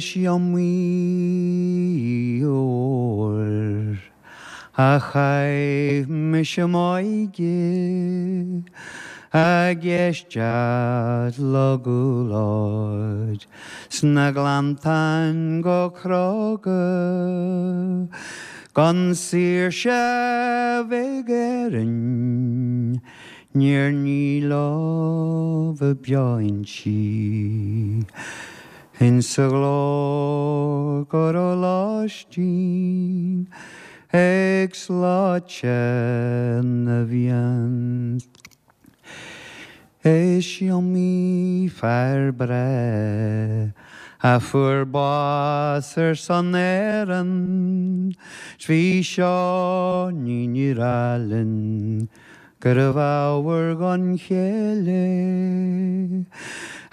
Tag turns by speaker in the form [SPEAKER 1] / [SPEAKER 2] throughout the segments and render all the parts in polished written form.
[SPEAKER 1] Is iomaí uair a chaith mise m'óige ag éisteacht le gúlóid sna gleanntáin go cróga gan saoirse bheith ag Éirinn níor ní leo beo inti. Insa ghlór go raibh lóistín ag sluaite na bhFiann. Is iomaí fear breá a fuair bás ar son Éireann, 's bhí Seáinín ag rá linn Gurbh ábhar don chéile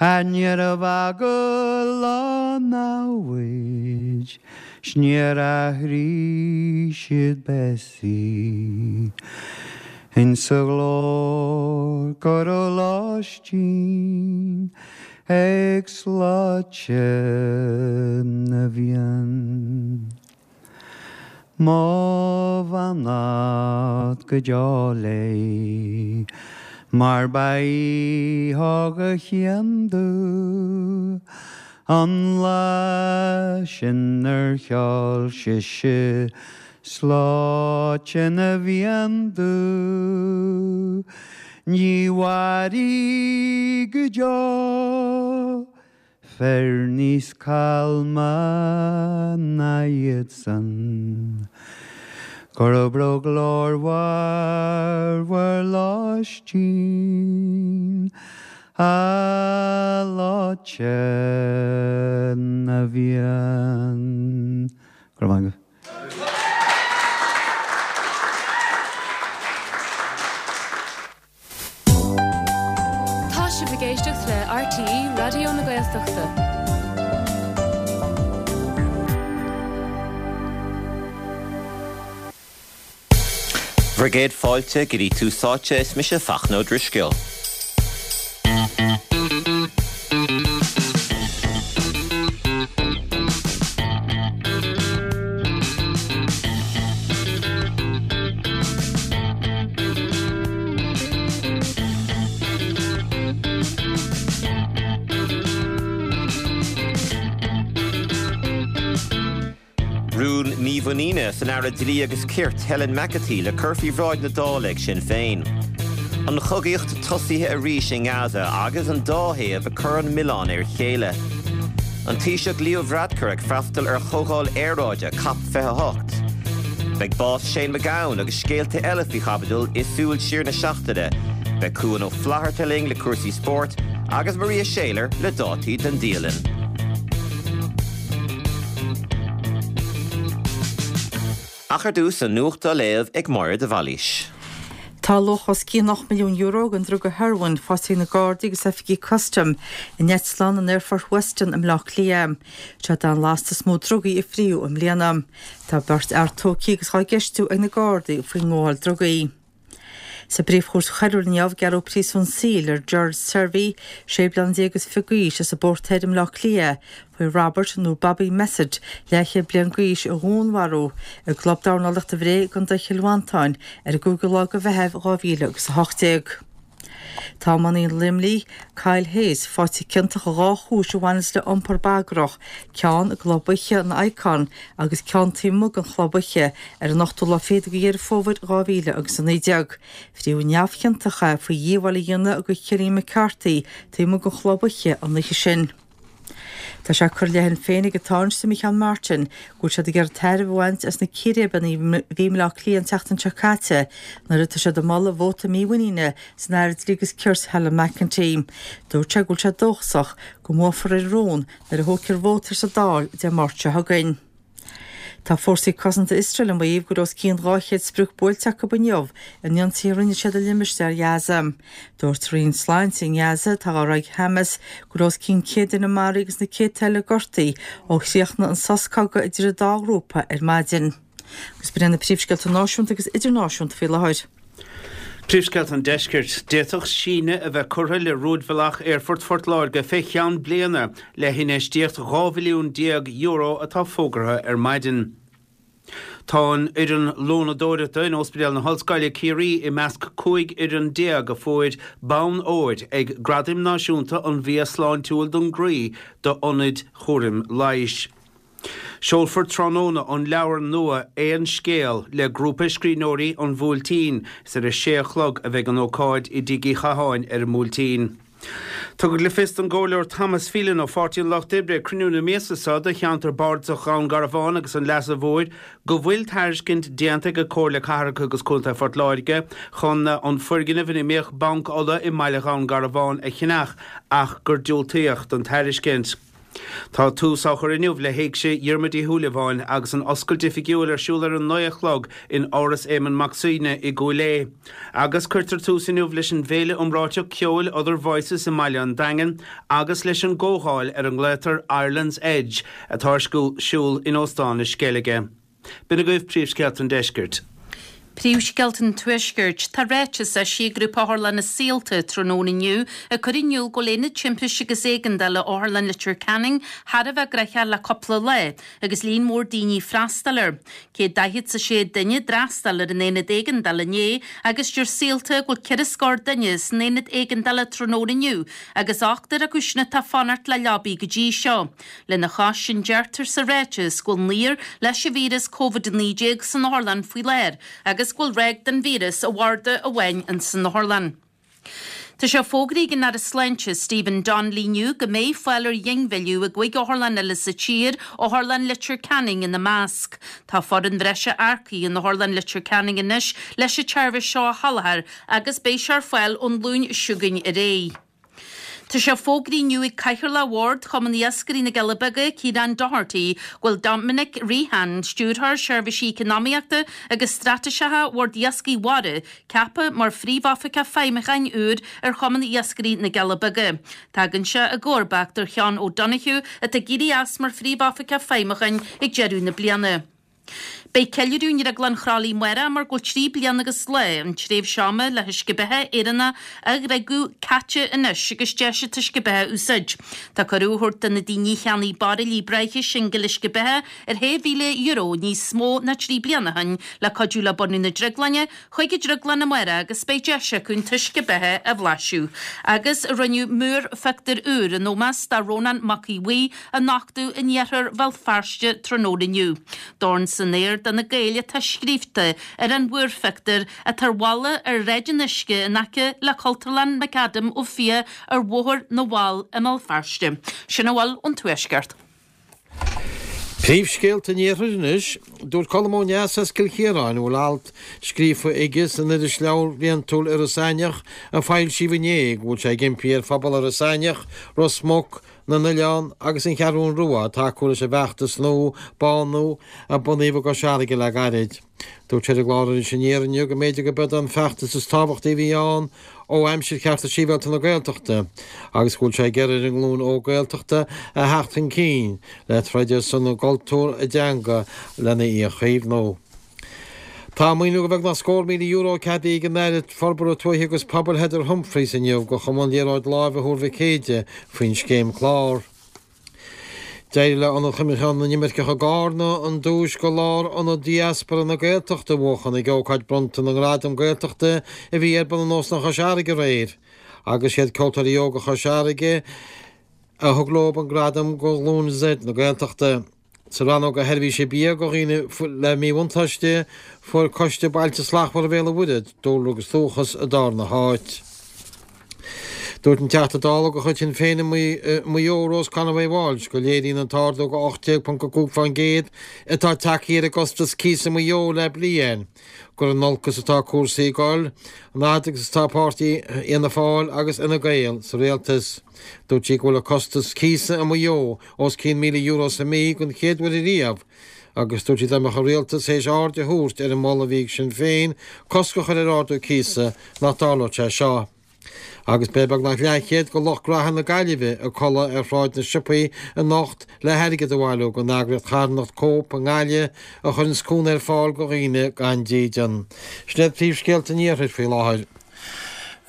[SPEAKER 1] a níorbh eagal leo namhaid 's níor athraigh siad béasaí insa ghlór go raibh lóistín ag sluaite na bhFiann. Mo bheannacht go deo léi, mar ba í thug a chian domh an lá sin ar cheol sise sluaite na bhFiann domh. Ní mhairfidh go deo Fir níos calma ná iadsan. Go raibh glórmhar bhur lóistín a shluaite na bhFiann. Go raibh maith agaibh.
[SPEAKER 2] Tá sibh ag éisteacht le RTÉ Raidió na Gaeltachta.
[SPEAKER 3] Bhur gcéad fáilte go dtí Tús Áite, is mise Fachtna Ó Drisceoil. Rún mímhuiníne san Aire Dlí agus Cirt, Helen McEntee, le cur faoi bhráid na Dála ag Sinn Féin. An chogaíocht tosaithe arís i nGaza agus an dá thaobh ag cur an milleáin ar a chéile. An Taoiseach Leo Varadkar ag freastal ar chomhdháil aeráide Cop 28. Beidh bás Shane MacGowan agus scéalta eile faoi chaibidil i Súil Siar na Seachtaine. Beidh Cuan Ó Flatharta linn le cúrsaí spóirt agus Maria Shayler le dátaí don dialann. Ach ar dtús, an nuacht á léamh ag Máire de Bhailís.
[SPEAKER 4] Tá luach os cionn €8 milliún den druga hearóin faighte ag na Gardaí agus oifigigh custaim in eitleán in Aerfort Weston i mBleá Cliath. Seo an lasta is mó drugaí a fríodh i mbliana. Tá beirt fhear tógtha agus á gceistiú ag na Gardaí faoin ngabháil drugaí. Sa bPríomh-Chúirt Choiriúil inniu, gearradh príosún saoil ar Gerard Servy, 16 bliana is fiche d'aois, as an bPort Thoir i mBleá Cliath, faoi Robert nó Bobby Messett, leathchéad bliain d'aois, a dhúnmharú i gClub Dornálaíochta Bhré i gContae Chill Mhantáin ar an gcúigiú lá de Mheitheamh 2018. Tá iománaí Luimnigh, Kyle Hayes, faighte ciontach i dha chúis a bhaineas le iompar bagrach, ceann i gclub oíche an Icon agus ceann taobh amuigh den chlub oíche ar an ochtú lá fichead de Dheireadh Fómhair 2019. Fríodh neamhchiontach é faoi dhíobháil a dhéanamh do Chillian McCarthy taobh amuigh den chlub oíche an oíche sin. Tá sé curtha i leith Shinn Féin ag an Tánaiste Micheál Martin go bhfuil siad ag iarraidh tairbhe a bhaint as na círéibeanna a bhí i mBleá Cliath an tseachtain seo caite nuair atá siad ag moladh vóta mímhuiníne san Aire Dlí agus Cirt Helen McEntee. Dúirt sé go bhfuil sé dóchasach go mbuafar ar an rún nuair a thógfar vóta air sa Dáil Dé Máirt seo chugainn. Tá fórsaí cosanta Iosrael ag maíomh go raibh os cionn 200 sprioc buailte acu inniu in ionsaithe a rinne siad i limistéar Ghaza. Dúirt Roinn Sláinte i nGaza, atá á rith ag Hamas, go raibh os cionn 100 duine maraithe agus na céadta eile gortaithe ó chríochnaigh an sos cogaidh idir an dá ghrúpa ar maidin. Agus b'in iad na príomhscéalta náisiúnta agus idirnáisiúnta faoi láthair.
[SPEAKER 5] Príomhscéalta an Deiscirt. D'fhéadfadh síneadh a bheith curtha le rúidbhealach Aerfort Phort Láirge fé cheann bliana le hinfheistíocht €12 mhilliún atá fógartha ar maidin. Tá an fhoireann lónadóireachta in Ospidéal na hOllscoile, Ciarraí i measc 15 fhoireann a fuair bonn óir ag Gradaim Náisiúnta an Bhia Sláintiúil don gCroí d'Ionaid Chúraim Leighis. Seolfar tráthnóna an leabhar nua Aon Scéal le Grúpa Scríbhneoirí An Bhuailtín. Is ar a sé a chlog a bheidh an ócáid i dTigh Uí Chatháin ar an mBuailtín. Tugadh le fios don gComhairleoir Thomas Phelan ó Pháirtí an Lucht Oibre ag cruinniú na míosa seo de cheantar bardasach Dhún Garbhán agus an Leasa Mhóir go bhfuil tairiscint déanta ag Comhairle Cathrach agus Contae Phort Láirge chun an foirgneamh ina mbíodh Banc Uladh i mbaile Dhún Garbhán a cheannach ach gur diúltaíodh don tairiscint. Tá tús á chur inniu le hÉigse Dhiarmuid Uí Shúilleabháin agus an oscailt oifigiúil ar siúl ar a 9 a chlog in Áras Éamonn Mac Suibhne i gCúil Aodha. Agus cuirtear tús inniu leis an bhféile iomráiteach ceoil Other Voices i mbaile an Daingin agus leis an gcomhdháil ar a nglaotar Ireland's Edge atá ar siúl in Óstán na Sceilge. B'in agaibh príomhscéalta an deiscirt.
[SPEAKER 6] Príomhscéalta an Tuaiscirt. Tá ráiteas eisithe ag Grúpa Otharlanna Saolta tráthnóna inniu ag cur in iúl go bhfuil Aonad Timpiste agus Éigeandála Otharlann Leitir Ceanainn thar a bheith gnoitheach le cúpla lá agus líon mór daoine ag freastal air. 146 duine a d'fhreastail ar an Aonad Éigeandála inné agus deir Saolta go bhfuil ceithre scór duine san Aonad Éigeandála tráthnóna inniu agus ochtar acu sin atá ag fanacht le leabaí go dtí seo. Lena chois sin deirtear sa ráiteas go bhfuil naonúr leis an víreas Covid-19 san otharlann faoi láthair agus go bhfuil ráig den víreas i bharda amháin ins an otharlann. Tá sé fógraithe ag an Aire Sláinte Stephen Donnelly inniu go mbeidh fáil ar ghinmhilleadh i gcúig otharlann eile sa tír, Otharlann Leitir Ceanainn ina measc. Tá foireann bhreise earcaithe in Otharlann Leitir Ceanainn anois leis an tseirbhís seo a sholáthar agus beidh sé ar fáil ón Luan seo chugainn ar aghaidh. Tá sé fógraithe inniu ag Cathaoirleach Bhord Chumann Iascairí na gCealla Beaga, Ciarán Doherty, go bhfuil Dominic Rehan, Stiúrthóir Seirbhísí Eacnamaíochta agus Straitéiseacha Bhord Iascaigh Mhara, ceaptha mar Phríomhoifigeach Feidhmiúcháin úr ar Chumann Iascairí na gCealla Beaga. Tagann sé i gcomharbacht ar Sheán O'Donoghue atá ag éirí as mar Phríomhoifigeach Feidhmiúcháin ag deireadh na bliana. Beidh ceiliúradh i nDrioglann Chroithlí amárach mar go bhfuil 3 bliana agus lá, an tréimhse ama le huisce beatha Éireannach a dhriogadh, caite anois agus deis an t-uisce beatha a úsáid. Tá cuireadh á thabhairt do na daoine a cheannaigh bairillí breátha singil uisce beatha ar €6,000 níos mó ná 3 bliana ó shin le cuidiú le bunú na drioglainne chuig an drioglann amárach agus beidh deis acu an t-uisce beatha a bhlaiseadh. Agus rinneadh múrphictiúr úr in ómós do Rónán Mac Aodha Bhuí a nochtadh in iarthar Bhéal Feirste tráthnóna inniu. Dorn san aer do na Gaeil atá scríobhta ar an mhúrphictiúr atá ar bhalla ar Shráid an Uisce in aice le Cultúrlann McAdam Ó Fiaich ar Bhóthar na bhFál i mBéal Feirste. Sin a bhfuil ón Tuaisceart.
[SPEAKER 7] Príomhscéalta an Iarthair anois. Dúirt Colm Ó Neasa as Cill Chiaráin, a bhfuil alt scríofa aige san irisleabhar bliantúil Iorras Aithneach a foilsíodh inné, go bhfuil sé ag impí ar phobal Iorras Aithneach, Ros Muc, na nOileán agus an Cheathrún Rua tacú leis an bhfeachtas nua Bánú a bunaíodh i gCois Fharraige le gairid. Dúirt sé ar an gclár Iris Aniar inniu go mb'fhéidir go b'eod an feachtas is tábhachtaí a bhí ann ó aimsir Chearta Sibhialta na Gaeltachta agus go bhfuil sé ag iarraidh ar an nglúin óg Gaeltachta a theacht chun cinn le troid ar son a gcultúr, a dteanga lena í a chaomhnú. Tá maoiniú de bheagnach scór €1,000 ceadaithe ag an Aire Forbartha Tuaithe agus Pobail Heather Humphreys inniu do Chumann Liathróid Láimhe Thuar Mhic Éide faoin scéim Clár. D'éirigh le Ionad Chuimhneacháin na nImirceach i gCarna an duais do Lárionad Diaspora na Gaeltachta a bhuachan ag ócáid bronnta na nGradam Gaeltachta a bhí ar bun in Óstán Chois Fharraige aréir agus siad Ceoltóirí Óga Chois Fharraige a thug leo an gradam do Ghlúin Z na Gaeltachta. Sa rannóg do sheirbhísí bia do dhaoine le míbhuntáiste, fuair Coiste Bailte Slachtmhara Bhéal an Mhuirthead, Dúlra agus Dúchas an darna háit. Dúirt an Teachta Dála de chuid Shinn Féin i Maigh Eo, Rose Conway Walsh, go léiríonn an t-ardú de 18.5% atá tagtha ar an gcostas cíosa i Maigh Eo le bliain, gur in olcas atá cúrsaí ag dul, an fhad agus atá páirtí Fhianna Fáil agus Fhine Gael sa rialtas. Dúirt sí go bhfuil an costas cíosa i Maigh Eo os cionn €1,000 sa mí den chéad uair ariamh agus dúirt sí dá mbeadh an rialtas théis aird a thabhairt ar an moladh a bhí ag Sinn Féin cosc a chur ar ardú cíosa nach dtarlódh sé seo. Agus beidh beagnach leathchéad de lucht graithe na Gaillimhe ag codladh ar Shráid na Siopaí anocht le hairgead a bhailiú don eagraíocht charthanacht Cope i nGaillimh a chuireanns cúnamh ar fáil do dhaoine gan dídean. Sin iad príomhscéalta an iarthair faoi láthair.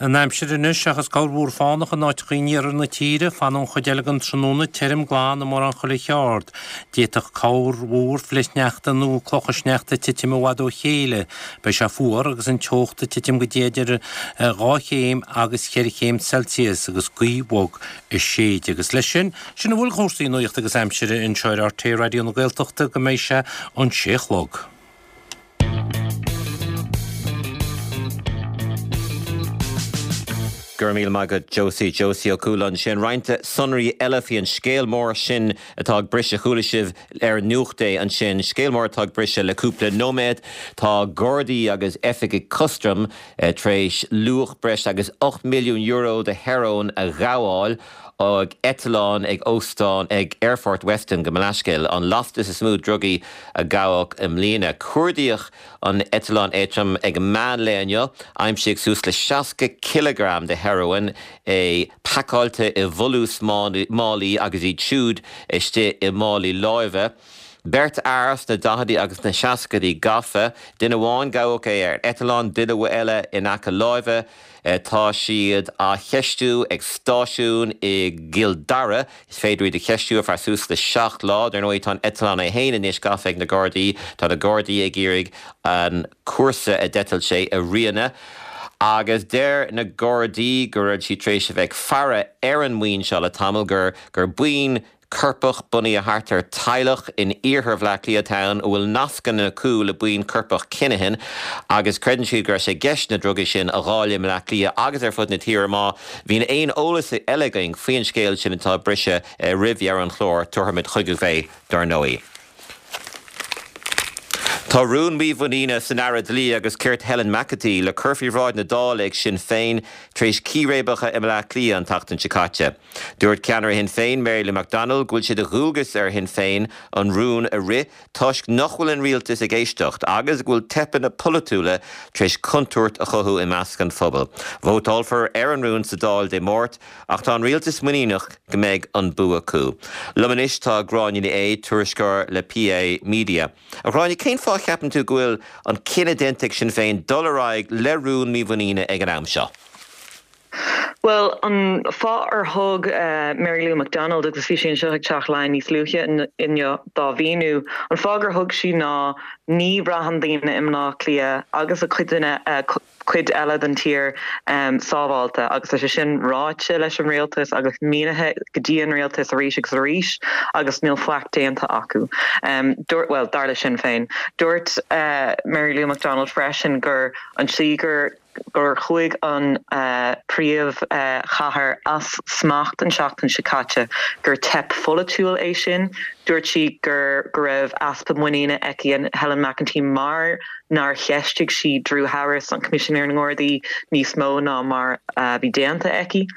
[SPEAKER 5] An aimsir anois, seachas corrmhúr fánach in áiteacha in iarthar na tíre, fanfaidh an chuid eile den tráthnóna tirim glan i mórán chuile cheard. D'fhéadfadh corrmhúr flichshneachta nó clocha sneachta titim i bhfad ó chéile. Beidh sé fuar agus an teocht ag titim go dtí idir 2 chéim agus 4 chéim Celsius agus gaoth bhog ag séideadh. Agus leis sin, sin a bhfuil de chúrsaí nuachta agus aimsire anseo ar RTÉ Raidió na Gaeltachta go mbeidh sé an sé a chlog.
[SPEAKER 3] Go raibh míle maith agat Josie, Josie Ó Cualáin ansin. Roinnt sonraí eile faoi an scéal mór sin atá ag briseadh, chuala sibh ar Nuacht é ansin, scéal mór atá ag briseadh le cúpla nóiméad. Tá Gardaí agus oifigigh custaim tar éis luach breis agus €8 milliún de hearóin a ghabháil ag eitleán ag óstán ag Aerfort Weston, gabh mo leithscéal, an lastas is mó drugaí a gabhadh i mbliana. Cuardaíodh an eitleán éadrom ag meán lae inniu. Aimsíodh suas le 60 cileagram de hearóin, é pacáilte i bhfolús málaí agus iad siúd istigh i málaí láimhe. Beirt fhear sna daichidí agus sna seascaidí gafa. Duine amháin gabhadh é ar eitleán, duine eile in aice láimhe. Tá siad á cheistiú ag stáisiún i gCill Dara. Is féidir iad a cheistiú ar feadh suas le 7 lá. Dar ndóigh tá an eitleán é féin anois gafa ag na Gardaí. Tá na Gardaí ag iarraidh an cúrsa a d'eitil sé a rianadh. Agus deir na Gardaí go raibh siad tar éis a bheith ag faire ar an mbuíon seo le tamall, gur gur buíon coirpeach bunaithe thart ar teaghlach in iarthar Bhaile Átha Cliath atá ann a bhfuil nascanna acu le buíon coirpeach Kinahan agus creideann siad go raibh sé i gceist na drugaí sin a dháileadh i mBleá Cliath agus ar fud na tíre. Má bhíonn aon eolas eile againn faoin scéal sin atá ag briseadh roimh dheireadh an chláir, tabharfaimid chugaibh é dar ndóigh. Tá rún mímhuiníne san Aire Dlí agus Cirt Helen McEntee le cur faoi bhráid na Dála ag Sinn Féin tar éis círéibeacha i mBleá Cliath an tseachtain seo caite. Dúirt ceannaire Shinn Féin, Mary Lou McDonald, go bhfuil sé de dhualgas ar Shinn Féin an rún a rith toisc nach bhfuil an rialtas ag éisteacht agus go bhfuil teipeanna polaitiúla tar éis contúirt a chothú i measc an phobail. Vótálfar ar an rún sa Dáil Dé Máirt ach tá an rialtas muiníneach go mbeidh an bua acu. Liom anois tá Gráinne Ní Aodha, tuairisceoir le PA Media. A Ghráinne, cén fáth a cheapann tú go bhfuil an cinneadh déanta ag Sinn Féin dul ar aghaidh le rún mímhuiníne ag an am seo?
[SPEAKER 8] Bhuel, an fáth ar thug Mary Lou McDonald, agus bhí sí anseo ag Teach Laighean níos luaithe inniu dá mhíniú, an fáth gur thug sí ná ní bhraitheann daoine i mBleá Cliath agus i cuid eile den tír sábháilte agus tá sé sin ráite leis an rialtas agus mínithe go dtí an rialtas arís agus arís agus níl faic déanta acu. Dúirt, bhuel, dar le Sinn Féin. Dúirt Mary Lou McDonald freisin gur an tslí gur gur chuaigh an príomhchathair as smacht an tseachtain seo caite, gur teip pholaitiúil é sin. Dúirt sí gur go raibh easpa muiníne aici in Helen McEntee mar nár cheistigh sí Drew Harris, an Coimisinéir na nGardaí, níos mó ná mar a bhí déanta aici.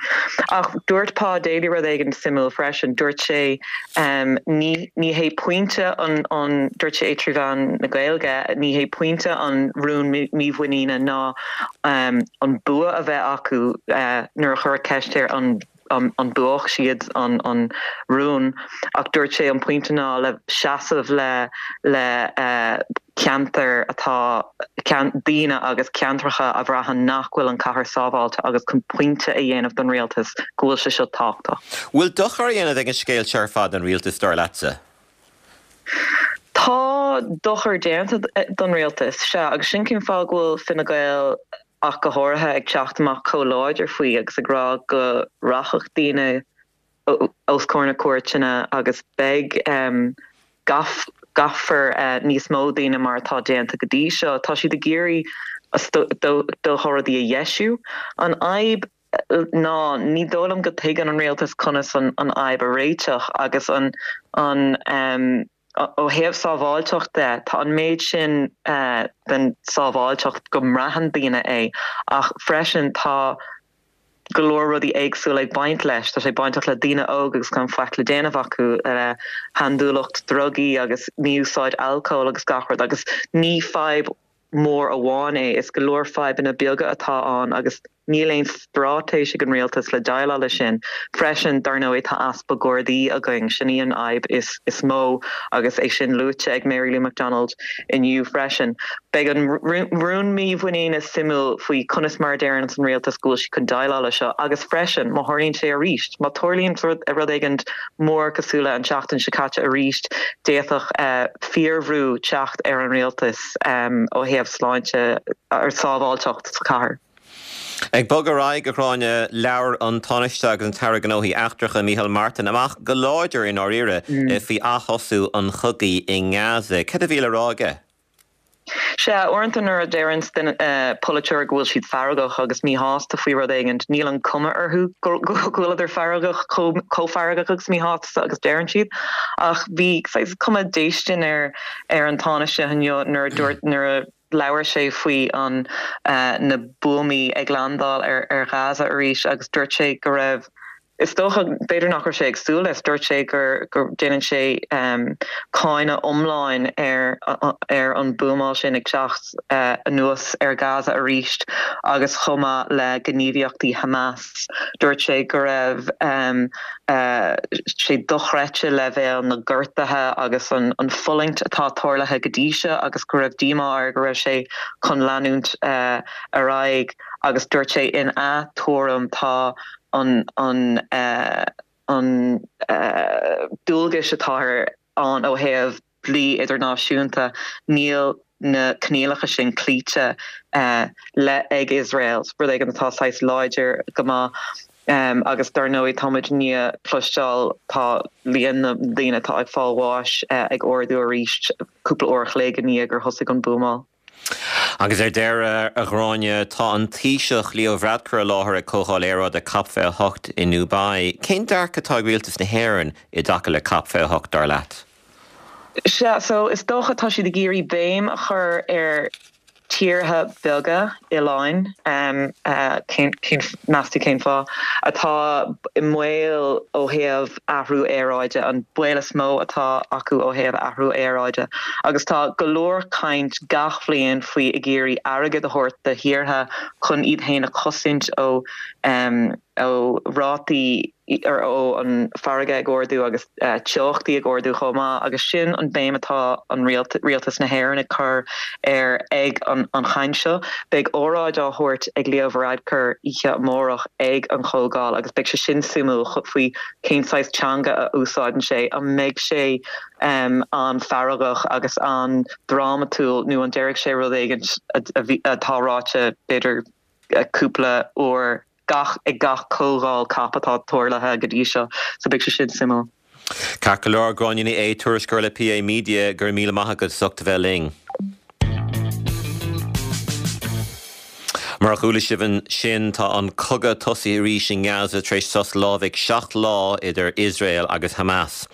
[SPEAKER 8] Ach dúirt Pa Daly rud éigin suimiúil freisin. Dúirt sé ní ní hé pointe an an dúirt sé é trí mheán na Gaeilge, ní hé pointe an rún mímhuiníne ná an bua a bheith acu nuair a cuireadh ceist air an an mbuafadh siad an an rún ach dúirt sé an pointe ná le seasamh le le ceantair atá daoine agus ceantracha a bhraitheann nach bhfuil an chathair sábháilte agus chun pointe a dhéanamh don rialtas go bhfuil sé seo tábhachtach.
[SPEAKER 3] Bhfuil dochar á dhéanamh ag an scéal seo ar fad don rialtas, dar leatsa?
[SPEAKER 8] Tá dochar déanta don rialtas, sea, agus sin cén fáth go bhfuil Fine Gael ach go háirithe ag teacht amach chomh láidir faoi agus ag rá go rachadh daoine os comhair na cúirteanna agus beidh gabhfar níos mó daoine mar atá déanta go dtí seo. Tá siad ag iarraidh is dócha rudaí a dheisiú. An fhadhb ná ní dóigh liom go dtuigeann an rialtas conas an fhadhb a réiteach agus an ó thaobh sábháilteacht de, tá an méid sin den sábháilteacht go mbraitheann daoine é ach freisin tá go leor rudaí éagsúla ag baint leis. Tá sé bainteach le daoine óga agus gan faic le déanamh acu, le handúileacht drugaí agus mí-úsáid alcóil agus gach rud agus ní fadhb mhór amháin é, is go leor fadhbanna beaga atá ann agus. Níl aon straitéis ag an rialtas le déileáil leis sin. Freisin, dar ndóigh, tá easpa Gardaí againn. Sin í an fhadhb is mó agus é sin luaite ag Mary Lou McDonald inniu freisin. Beidh an rún mímhuiníne suimiúil faoi conas mar a deireann an rialtas go bhfuil siad chun déileáil leis seo agus freisin, má tharlaíonn sé arís, má tarlaíonn rud éigin mór cosúil le an tseachtain seo caite arís, d'fhéadfadh fíorbhrú teacht ar an rialtas ó thaobh sláinte ar sábháilteacht sa chathair.
[SPEAKER 3] Ag bogadh ar aghaidh, a Ghráinne, labhair an Tánaiste agus an tAire Gnóthaí Eachtracha, Micheál Martin, amach go láidir i ndáiríre faoi ath-thosú an chogaidh i nGaza. Céard a bhí le rá aige?
[SPEAKER 8] Sea, uaireanta nuair a deireann polaiteoir go bhfuil siad feargach agus míshásta faoi rud éigin, níl an cuma orthu go bhfuileadar feargach, chomh feargach agus míshásta agus deireann siad. Ach bhí saghas cuma déistin ar an Tánaiste inniu nuair a dúirt, nuair a labhair sé faoi an na buamaí ag landáil ar Ghaza arís agus dúirt sé go raibh, is dócha, b'fhéidir nach raibh sé ag súil leis, dúirt sé gur go déanann sé cáineadh iomlán ar ar an buamáil sin ag teacht anuas ar Gaza arís agus chomh maith le gníomhaíochtaí Hamas. Dúirt sé go raibh sé dochreidte leibhéal na ngortuithe agus an fulaingt atá tarlaithe go dtí seo agus go raibh díomá air go raibh sé chun leanúint ar aghaidh agus dúirt sé ina thuairim tá an an an dualgais atá ann ó thaobh dlí idirnáisiúnta, níl na coinníollacha sin cloíte le ag Iosrael, rud éigin atá saghas láidir go maith. Agus dar ndóigh tá muid i ndiaidh cloisteáil tá líon na ndaoine atá ag fáil bháis ag ardú arís cúpla uair a chloig i ndiaidh gur thosaigh an buamáil.
[SPEAKER 3] Agus ar deireadh, a Ghráinne, tá an Taoiseach Leo Varadkar i láthair ag Comhdháil Aeráide Cop 28 i nDubai. Cén dearcadh atá ag Rialtas na hÉireann i dtaca le Cop 28, dar leat?
[SPEAKER 8] Sea, so is dócha tá siad ag iarraidh béim a chur ar tíortha beaga oileáin, cén, meas tú cén fáth, atá i mbaol ó thaobh athrú aeráide, an baol is mó atá acu ó thaobh athrú aeráide. Agus tá go leor caint gach bhliain faoi ag iarraidh airgead a thabhairt do thíortha chun iad féin a chosaint ó ó rátaí ó an farraige ag ardú agus teochtaí ag ardú chomh maith agus sin an béim atá an Rialtas na hÉireann ag cur air ag an chaint seo. Beidh óráid á thabhairt ag Leo Varadkar oíche amárach ag an chomhdháil agus beidh sé sin suimiúil faoi cén saghas teanga a úsáideann sé, an mbeidh sé an-fheargach agus an-drámatúil nó an déarfaidh sé rud éigin atá ráite b'fhéidir cúpla uair gach ag gach comhdháil cop atá tarlaithe go dtí seo so beidh sé sin suimiúil.
[SPEAKER 3] Ceart go leor, Gráinne Ní Aodha, tuairisceoir le PA Media, go raibh míle maith agat as ucht a bheith linn. Mar a chuala sibh ansin, tá an cogadh tosaithe arís i nGaza tar éis sos lámhaigh 7 lá idir Iosrael agus Hamas.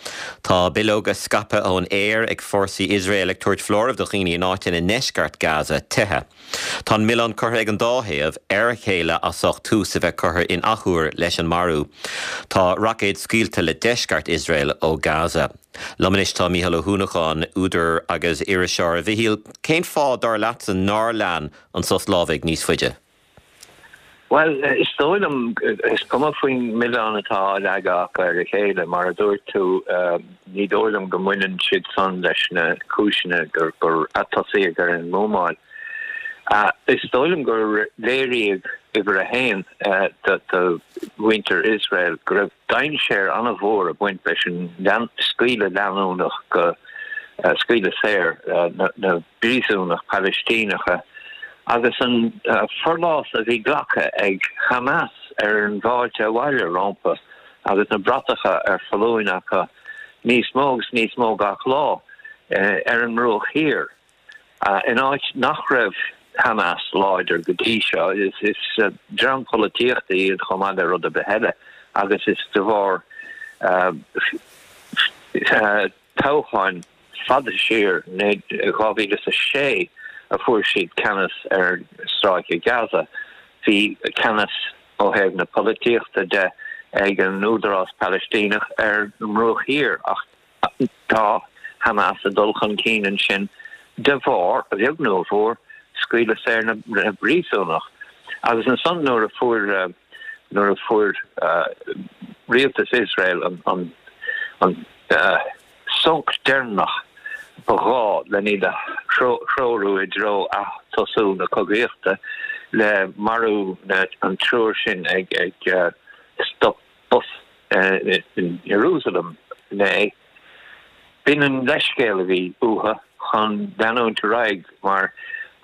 [SPEAKER 3] Tá bileoga scaipthe ón aer ag fórsaí Iosrael ag tabhairt foláireamh do dhaoine in áiteanna i ndeisceart Gaza teitheadh. Tá an milleán curtha ag an dá thaobh ar a chéile as ucht tús a bheith curtha in athuair leis an marú. Tá roicéid scaoilte le deisceart Iosrael ó Gaza. Liom anois tá Mícheál Ó hUanacháin, údar agus iriseoir. A Mhichíl, cén fáth, dar leatsa, nár lean an sos lámhaigh níos faide?
[SPEAKER 9] Bhuel, is dóigh liom, is cuma faoin milleán atá á leagadh acu ar a chéile, mar a dúirt tú, ní dóigh liom go mbaineann siad san leis na cúiseanna gur atosaíodh ar an mbuamáil. Is dóigh liom gur léiríodh uimhir a haon do mhuintir Iosrael go raibh dainséar an-mhór ag baint leis an scaoileadh leanúnach go scaoileadh saor na bpríosúnach Palaistíneacha agus an forlás a bhí glactha ag Hamas ar an bhfáilte abhaile rompu agus na bratacha ar foluain acu níos mó agus níos mó gach lá ar an mBruach Thiar, in áit nach raibh Hamas láidir go dtí seo. Is dream polaitíochta iad chomh maith le rud ar bith eile agus is de bharr toghcháin fada siar, 2006, a fuair siad ceannas ar Stráice Gaza. Bhí ceannas ó thaobh na polaitíochta de ag an Údarás Palaistíneach ar an mBruach Thiar ach tá Hamas ag dul chun cinn ansin de bharr, a bheag nó a mhór, scaoileadh saor na bpríosúnach. Agus ansan nuair a fuair nuair a fuair rialtas Iosrael an an sonc deireanach ba ghá len iad a threorú i dtreo atosú na cogaíochta le marú an triúr sin ag stop bus in Ierúsalem inné. B'in an leithscéal a bhí uathu chun leanúint ar aghaidh mar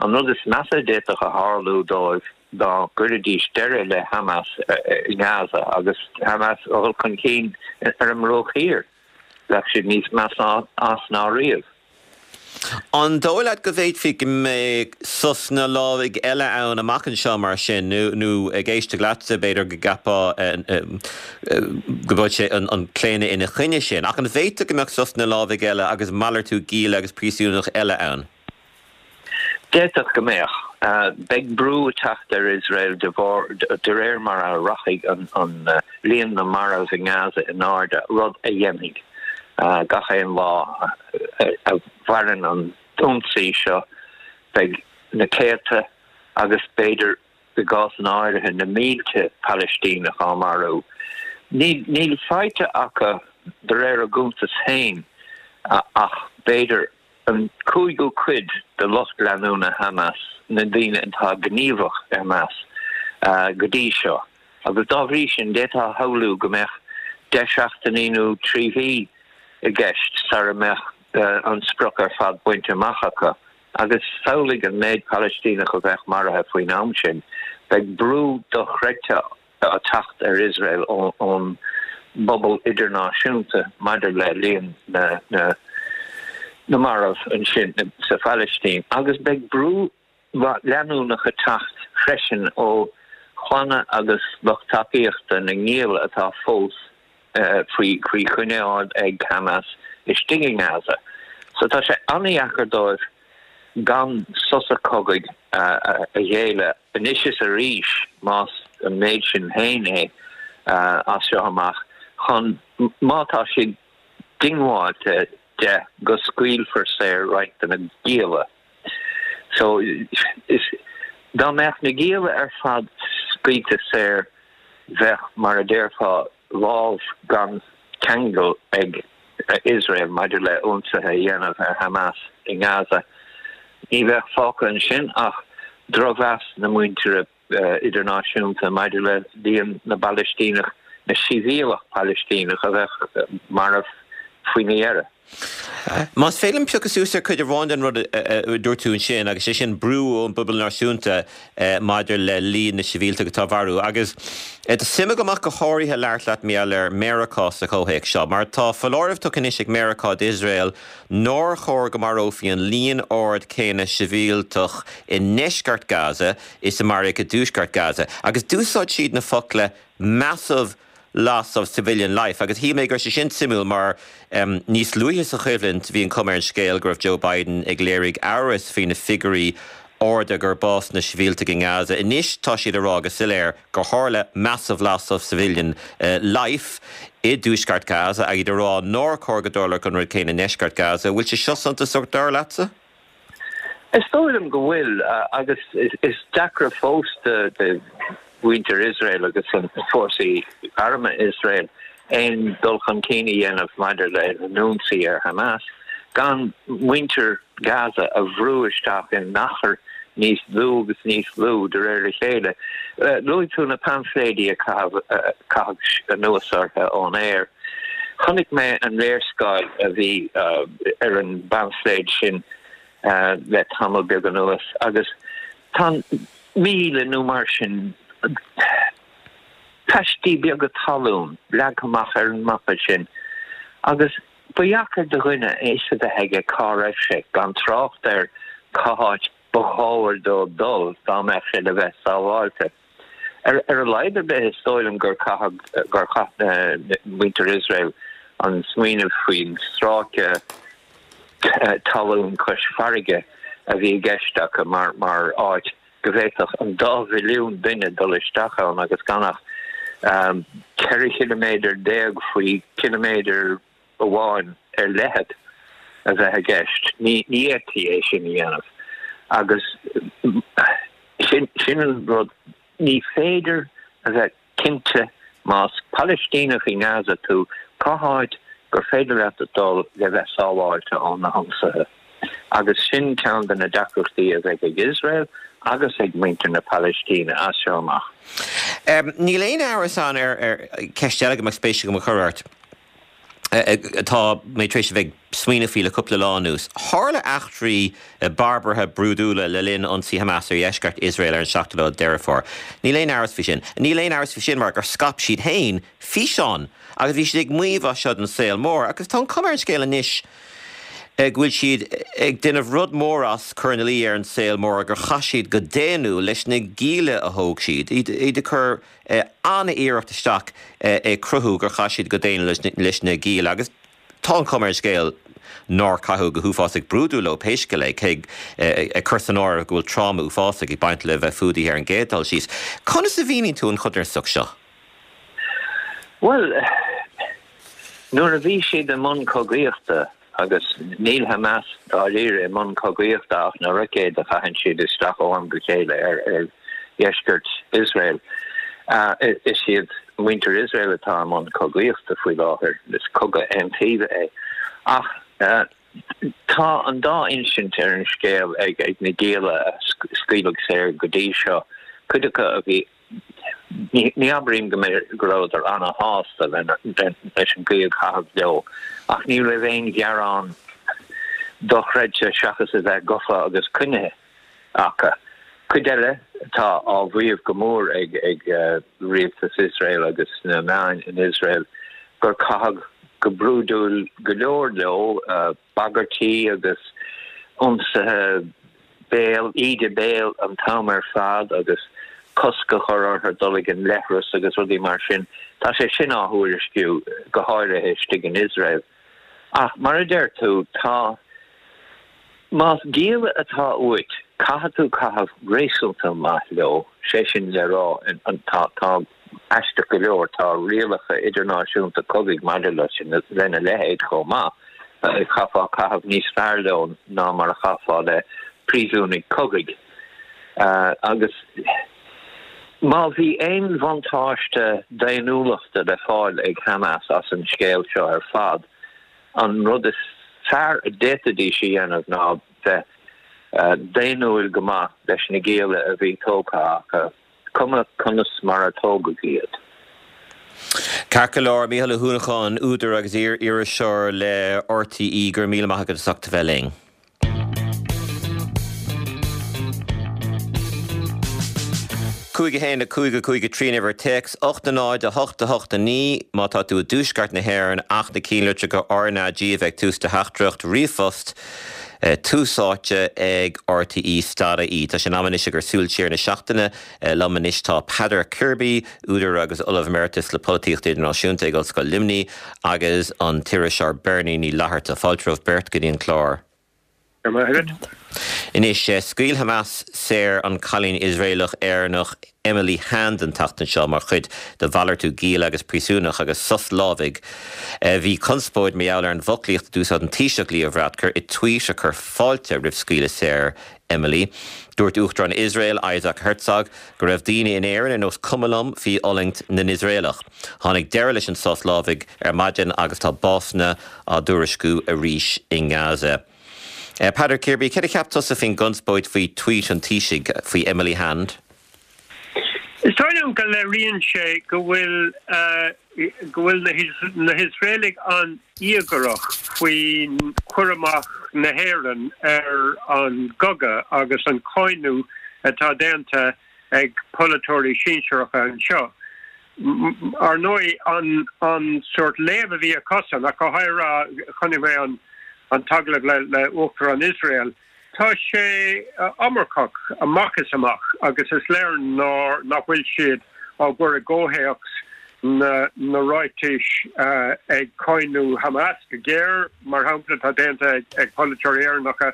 [SPEAKER 9] an rud is measa a d'fhéadfadh a tharlú dóibh dá gcuirfidís deireadh le Hamas i nGaza agus Hamas a dhul chun cinn ar an mBruach Thiar, bheadh siad níos measa as ná riamh.
[SPEAKER 3] An dóigh leat go bhféadfaí go mbeadh sosanna lámhaigh eile ann amach anseo mar sin, nó ag éisteacht leatsa, b'fhéidir go gceapfá go bhfuil sé an claonadh ina choinne sin, ach an bhféadfadh go mbeadh sosanna lámhaigh eile agus malartú gialla agus príosúnach eile ann?
[SPEAKER 9] D'fhéadfadh go mbeadh. Beidh brú ag teacht ar Iosrael de bharr, de réir mar a rachaidh an líon na marbh i nGaza in airde, rud a dhéanfaidh gach aon lá a mhaireann an t-ionsaí seo. Beidh na céadta agus b'fhéidir i gcásanna áirithe na mílte Palaistíneach á marú. Níl faighte acu de réir a gcuntas féin ach b'fhéidir an cúigiú cuid de lucht leanúna Hamas, na daoine atá gníomhach i Hamas go dtí seo, agus dá bhrí sin d'fhéadfá a shamhlú go mbeadh 10 seachtainí nó 3 mhí i gceist sara mbeadh an sprioc ar fad bainte amach acu. Agus samhlaigh an méid Palaistíneach a bheadh maraithe faoin am sin. Beidh brú dochreidte ag teacht ar Iosrael ón bpobal idirnáisiúnta maidir le líon na marbh ansin sa Phalaistín agus beidh brú leanúnach ag teacht freisin ó chlanna agus lucht tacaíochta na ngialla atá fós faoi choinneáil ag Hamas istigh i nGaza. So tá sé an-dheacair dóibh gan sosa cogaidh a ghéilleadh anois is arís, más an méid sin féin é, as seo amach, chun, má tá siad diongbháilte de, go scaoilfear saor roinnt de na gialla. So, is, dá mbeadh na gialla ar fad scaoilte saor, bheadh, mar a déarfá, lámh gan cheangal ag Iosrael maidir le ionsaithe a dhéanamh ar Hamas i nGaza. Ní bheadh fágtha ansin ach drochmheas na muintire idirnáisiúnta maidir le líon na bPalaistíneach, na sibhialtach Palaistíneach a bheadh marbh faoina dheireadh.
[SPEAKER 3] Más féidir liom piocadh suas ar chuid amháin den rud a dúirt tú ansin, agus sé sin brú ón bpobal náisiúnta maidir le líon na sibhialtach atá á mharú. Agus tá suim agam ach go háirithe labhairt leat mar gheall ar Meiriceá sa chomhthéacs seo, mar tá foláireamh tugtha anois ag Meiriceá d'Iosrael nár chóir go marófaí an líon ard céanna sibhialtach i ndeisceart Gaza is a maraíodh i dtuaisceart Gaza. Agus d'úsáid siad na focla 'massive loss of civilian life agus shíl mé go raibh sé sin suimiúil mar níos luaithe sa choimhlint bhí an chuma ar an scéal go raibh Joe Biden ag léirigh amhras faoi na figiúirí arda gur bás na sibhialtaigh i nGaza. Anois tá siad ag rá go soiléir gur tharla massive loss of civilian life i dtuaisceart Gaza agus iad ag rá nár chóir go dtarlódh an rud céanna i ndeisceart Gaza. Bhfuil sé seo suntasach dar leatsa?
[SPEAKER 9] Is dóigh liom go bhfuil, agus is deacra fós do mhuintir Iosrael agus fórsaí armtha Iosrael aon dul chun cinn a dhéanamh maidir lena n-ionsaí ar Hamas gan muintir Gaza a bhrú isteach in achar níos lú agus níos lú de réir a chéile. Luaigh tú na paimfléidí a caitheadh anuas orthu ón aer. Chonaic mé an léarscáil a bhí ar an bpaimfléad sin le tamall beag anuas agus tá míle nó mar sin paistí beaga talún leagtha amach ar an mapa sin agus ba dheacair do dhuine a fhios a bheith aige cá raibh sé, gan trácht ar cá háit ba chóir dó dul dá mbeadh sé le bheith sábháilte. Ar a laghad ar bith, is dóigh liom gur caitheadh, gur chaith muintir Iosrael an smaoineamh faoin stráice talún cois farraige a bhí i gceist acu mar mar áit go bhféadfadh an dá mhilliún duine dul isteach ann agus gan ach 14 chiliméadar faoi chiliméadar amháin ar leithead a bheith i gceist. Ní fhéadfaí é sin a dhéanamh agus sin an rud. Ní féidir a bheith cinnte más Palaistíneach i nGaza tú cá háit gur féidir leat dul le bheith sábháilte ó na hionsaithe. Agus sin ceann de na deacrachtaí a bheidh ag Iosrael agus ag muintir na Palaistíne as seo amach.
[SPEAKER 3] Níl aon amhras ann ar cheist eile go mbeadh spéis agam a chur ort. atá mé tar éis a bheith ag smaoineamh faoi le cúpla lá anuas. Tharla eachtraí barbartha brúidiúla le linn ionsaí Hamas ar dheisceart Iosrael ar an seachtú lá Deireadh Fómhair. Níl aon amhras faoi sin. Níl aon amhras faoi sin mar gur scaip siad féin físeán agus bhí siad ag maíomh as seo don saol mór agus tá an chuma ar an scéal anois go bhfuil siad ag déanamh rud mór as cur ina luí ar an saol mór gur chaith siad go daonnúil leis na gialla a thóg siad, iad ag cur an-iarracht isteach ag cruthú gur chaith siad go daonnúil leis na gialla agus tá an chuma ar an scéal nár caitheadh go huafásach brúidiúil leo pé scéal é, cé ag cur san áireamh go bhfuil tráma uafásach ag baint le bheith fuadaithe ar an gcéad dul síos. Conas a mhíníonn tú an chodarsnacht seo?
[SPEAKER 9] Bhuel, nuair a bhí siad i mbun cogaíochta, Agus níl Hamas dáiríre i mbun cogaíochta ach na roicéid a chaitheann siad isteach ó am go chéile ar dheisceart Iosrael. Is iad muintir Iosrael atá i mbun cogaíochta faoi láthair. Is cogadh aontaoibhe é. Ach tá an dá insint ar an scéal ag na gialla a scaoileadh saor go dtí seo, cuid acu a bhí Ní abraím go go rabhadar ana-shásta leis an gcaoi a caitheadh leo, ach ní raibh aon ghearán dochreidte seachas a bheith gafa agus coinnithe acu. Cuid eile atá á mhaíomh go mór ag rialtas Iosrael agus na meáin in Iosrael gur caitheadh go brúidiúil go leor leo, bagairtí agus ionsaithe béil, íde béil an t-am ar fad agus cosc a chur orthu dul ag an leithreas agus rudaí mar sin. Tá sé sin á thuairisciú, go háirithe istigh in Iosrael. Ach mar a deir tú, tá, más gialla atá uait, caithfidh tú caitheamh réasúnta maith leo, sé sin le rá, tá, tá, Aisteach go leor, tá rialacha idirnáisiúnta cogaidh maidir lena leithéid chomh maith. Chaithfeá caitheamh níos fearr leo ná mar a chaithfeá le príosúnaigh cogaidh. Agus má bhí aon bhuntáiste daonnúlachta le fáil ag Hamas as an scéal seo ar fad, an rud is fearr a d'fhéadfaidís a dhéanamh ná bheith daonnúil go maith leis na gialla a bhí tógtha acu. cuma conas mar a tógadh iad.
[SPEAKER 3] Ceart go leor, Mícheál Ó hUanacháin, údar agus iar-iriseoir le RTÉ, go raibh míle maith agat as ucht a bheith linn. 5 1 5 5 3 an uimhir téacs, 8 0 8 8 9 má tá tú i dtuaisceart na hÉireann ach na cinnlitreacha RnaG a bheith ag tús do theachtaireacht, ríomhphost, Tús Áite ag RTÉ stad ie. Tá sé in am anois ag ár súil siar na seachtaine. Liom anois tá Peadar Kirby, údar agus Ollamh Emeritus le Polaitíocht Idirnáisiúnta ag Ollscoil Luimnigh agus an t-iriseoir Bernie Ní Fhlatharta. Fáilte romhaibh beirt go dtí an clár.
[SPEAKER 10] Go raibh maith agat.
[SPEAKER 3] Anois, scaoil Hamas saor an cailín Iosraelach-Éireannach Emily Hand an tseachtain seo mar chuid de mhalartú gialla agus príosúnach agus sos lámhaigh. Bhí conspóid mar gheall ar an bhfoclaíocht a d'úsáid an Taoiseach Leo Varadkar i tvuít a chuir fáilte roimh scaoileadh saor Emily. Dúirt Uachtarán Iosrael, Isaac Herzog, go raibh daoine in Éirinn ar nós cuma liom faoi fhulaingt na nIosraelach. Tháinig deireadh leis an sos lámhaigh ar maidin agus tá básanna á dtuairisciú arís i nGaza. Peadar Kirby, céard a cheap tusa faoin gconspóid faoi tvuít an Taoisigh faoi Emily Hand?
[SPEAKER 10] Is dóigh liom go léiríonn sé go bhfuil go bhfuil na hIosraelaigh an-íogaireach faoi chur amach na hÉireann ar an gcogadh agus an cáineadh atá déanta ag polaiteoirí sinsearacha anseo. Ar ndóigh, an sórt léamh a bhí acusan, ach go háirithe, chonaic mé an t-agallamh le Uachtarán Iosrael, tá sé iomarcach amach is amach agus is léir nach bhfuil siad á gcur i gcomhthéacs na ráitis ag cáineadh Hamas go géar, mar shampla, atá déanta ag polaiteoirí Éireannacha.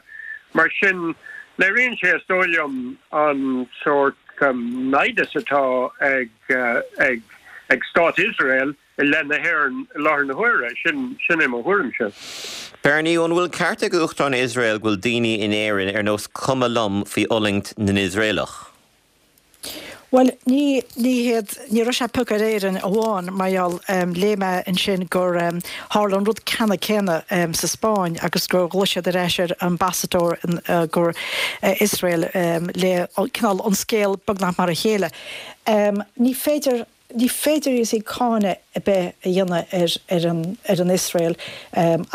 [SPEAKER 10] Mar sin, léiríonn sé, is dóigh liom, an sórt naimhdeas atá ag ag Stát Iosrael i leith na hÉireann i láthair na huaire. Sin sin é mo thuairimse.
[SPEAKER 3] Bernie, an bhfuil an ceart ag Uachtarán Iosrael go bhfuil daoine in Éirinn ar nós cuma liom faoi fhulaingt na nIosraelach?
[SPEAKER 11] Bhuel, ní, ní hiad, ní raibh sé ag piocadh ar Éirinn amháin, mar gheall, léigh mé ansin gur tharla an rud ceannann céanna sa Spáinn agus gur ghlaoigh siad ar ais ar ambasadóir go Iosrael le cineál an scéal beagnach mar a chéile. Ní féidir. Ní féidir you see cáineadh ar bith a dhéanamh ar ar an ar an Iosrael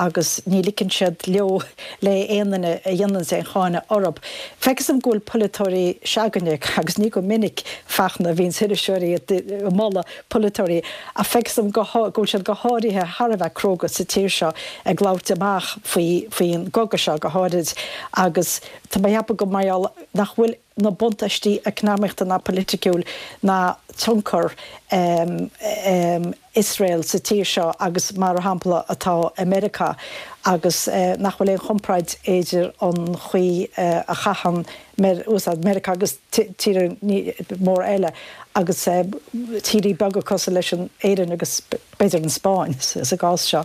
[SPEAKER 11] agus ní ligeann siad leo le aon duine a dhéananns aon cháineadh orthub. Feictear dom go bhfuil polaiteoirí se'againne, agus ní go minic Fachtna a bhíonns iriseoirí ag moladh polaiteoirí, ach feictear dom go go bhfuil siad go háirithe thar a bheith cróga sa tír seo ag labhairt amach faoi faoin gcogadh seo go háirid agus tá mé a cheapadh go mar gheall nach bhfuil na buntáistí eacnamaíochta ná poiliticiúil ná tionchar Iosrael sa tír seo agus mar shampla atá i Meiriceá agus nach bhfuil aon chomparáid idir an chaoi a chaitheann Meiriceá agus tíortha móra eile agus tíortha beaga cosúil leis an Éirinn agus b'fhéidir an Spáinn sa gcás seo.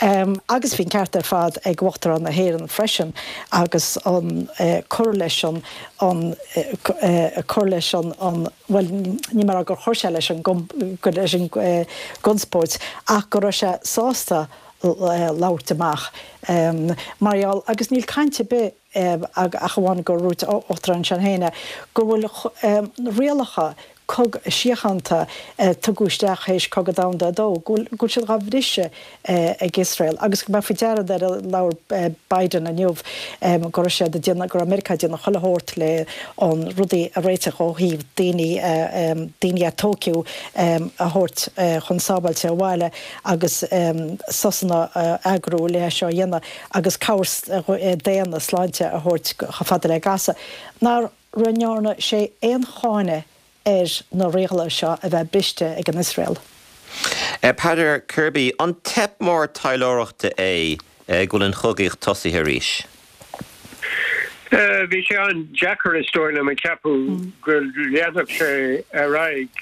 [SPEAKER 11] Agus bhí an ceart ar fad ag Uachtarán na hÉireann freisin agus an cur leis an, an cur leis an, an, bhuel ní mar gur chuir sé leis an leis an gconspóid ach go raibh sé sásta labhairt amach mar gheall agus níl caint ar bith ach amháin gur dhúirt Uachtarán ansin féin é, go bhfuil rialacha síochánta a tugadh isteach théis Cogadh Domhanda a Dó, go bhfuil siad dhá bhriseadh ag Iosrael agus go mbeadh faoi deara nuair a labhair Biden inniu go raibh siad ag déanamh, go raibh Meiriceá ag déanamh chuile shórt le an rudaí a réiteach ó thaobh daoine, daoine a tóigeadh a thabhairt chun sábháilte abhaile agus sosanna a eagrú le é seo a dhéanamh. agus cabhair daonna, sláinte a thabhairt chomh fada le Gaza, nach ndearna sé aon cháineadh ar na rialacha seo a bheith briste ag an Iosrael.
[SPEAKER 3] Peadar Kirby, An teip mór taidhleoireachta é go bhfuil an chogaíocht tosaithe arís?
[SPEAKER 10] Bhí sé an-deacair, is dóigh liom, a cheapadh go leanfadh sé ar aghaidh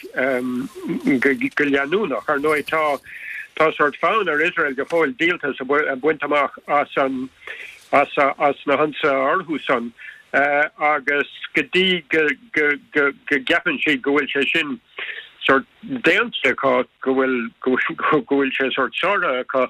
[SPEAKER 10] go leanúnach. Ar ndóigh, tá tá sórt fonn ar Iosrael go fóill díoltas a bhaint amach as an as na hionsaithe orthu san agus go dtí go go gceapann siad go bhfuil sé sin sórt déanta acu, go bhfuil go bhfuil sé sórt sáraithe acu,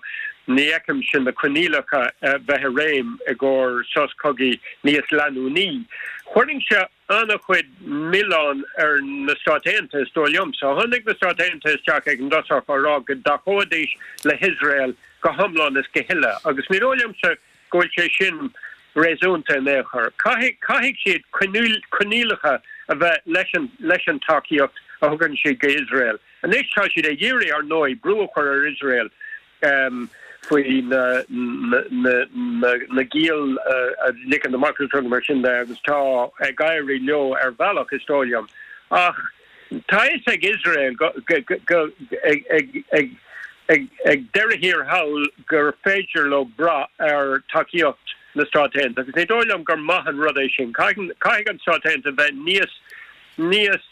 [SPEAKER 10] ní fheicimse na coinníollacha bheith i réim i gcomhair sos cogaidh níos leanúnaí. Chuirfinnse an-chuid milleán ar na Stáit Aontaithe, is dóigh liomsa. Tháinig na Stáit Aontaithe isteach ag an dtosach á rá go dtacóidís le hIosrael go hiomlán is go huile, agus ní dóigh liomsa go bhfuil sé sin réasúnta in aon chor. Caithfidh, caithfidh siad coinníollacha a bheith leis an, leis an tacaíocht a thugann siad go Iosrael. Anois tá siad ag iarraidh, ar ndóigh, brú a chur ar Iosrael faoi na, na, na, na, na giall a ligean amach agus rudaí mar sin de agus tá ag éirí leo ar bhealach, is dóigh liom. Ach tá a fhios ag Iosrael go, go, go, ag, ag, ag, ag deireadh thiar thall gur féidir leo brath ar tacaíocht na Stát Aontaithe agus ní dóigh liom gur maith an rud é sin. Caithfidh an Stát Aontaithe bheith níos níos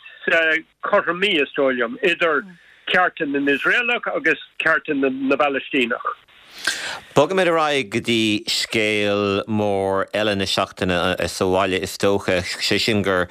[SPEAKER 10] cothromaí, is dóigh liom, idir cearta na nIosraelach agus cearta na bPalaistíneach.
[SPEAKER 3] Bogfaimid ar aghaidh go dtí scéal mór eile na seachtaine sa bhaile is dócha, sé sin gur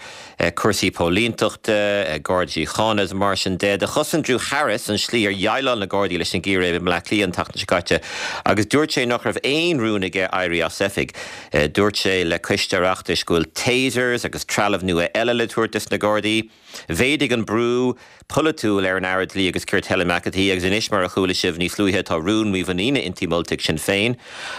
[SPEAKER 3] cúrsaí póilíntachta, Garda Síochána is mar sin de. Do chosain Drew Harris an slí ar dhéileáil na Gardaí leis an gcíréib i mBleá Cliath an tseachtain seo caite agus dúirt sé nach raibh aon rún aige éirí as oifig. Dúirt sé le coiste Oireachtais go bhfuil tasers agus trealamh nua eile le tabhairt dos na Gardaí. Mhéadaigh an brú polaitiúil ar an Aire Dlí agus Cirt Helen McEntee agus anois, mar a chuala sibh níos luaithe, tá rún mímhuiníne inti molta ag Sinn Féin.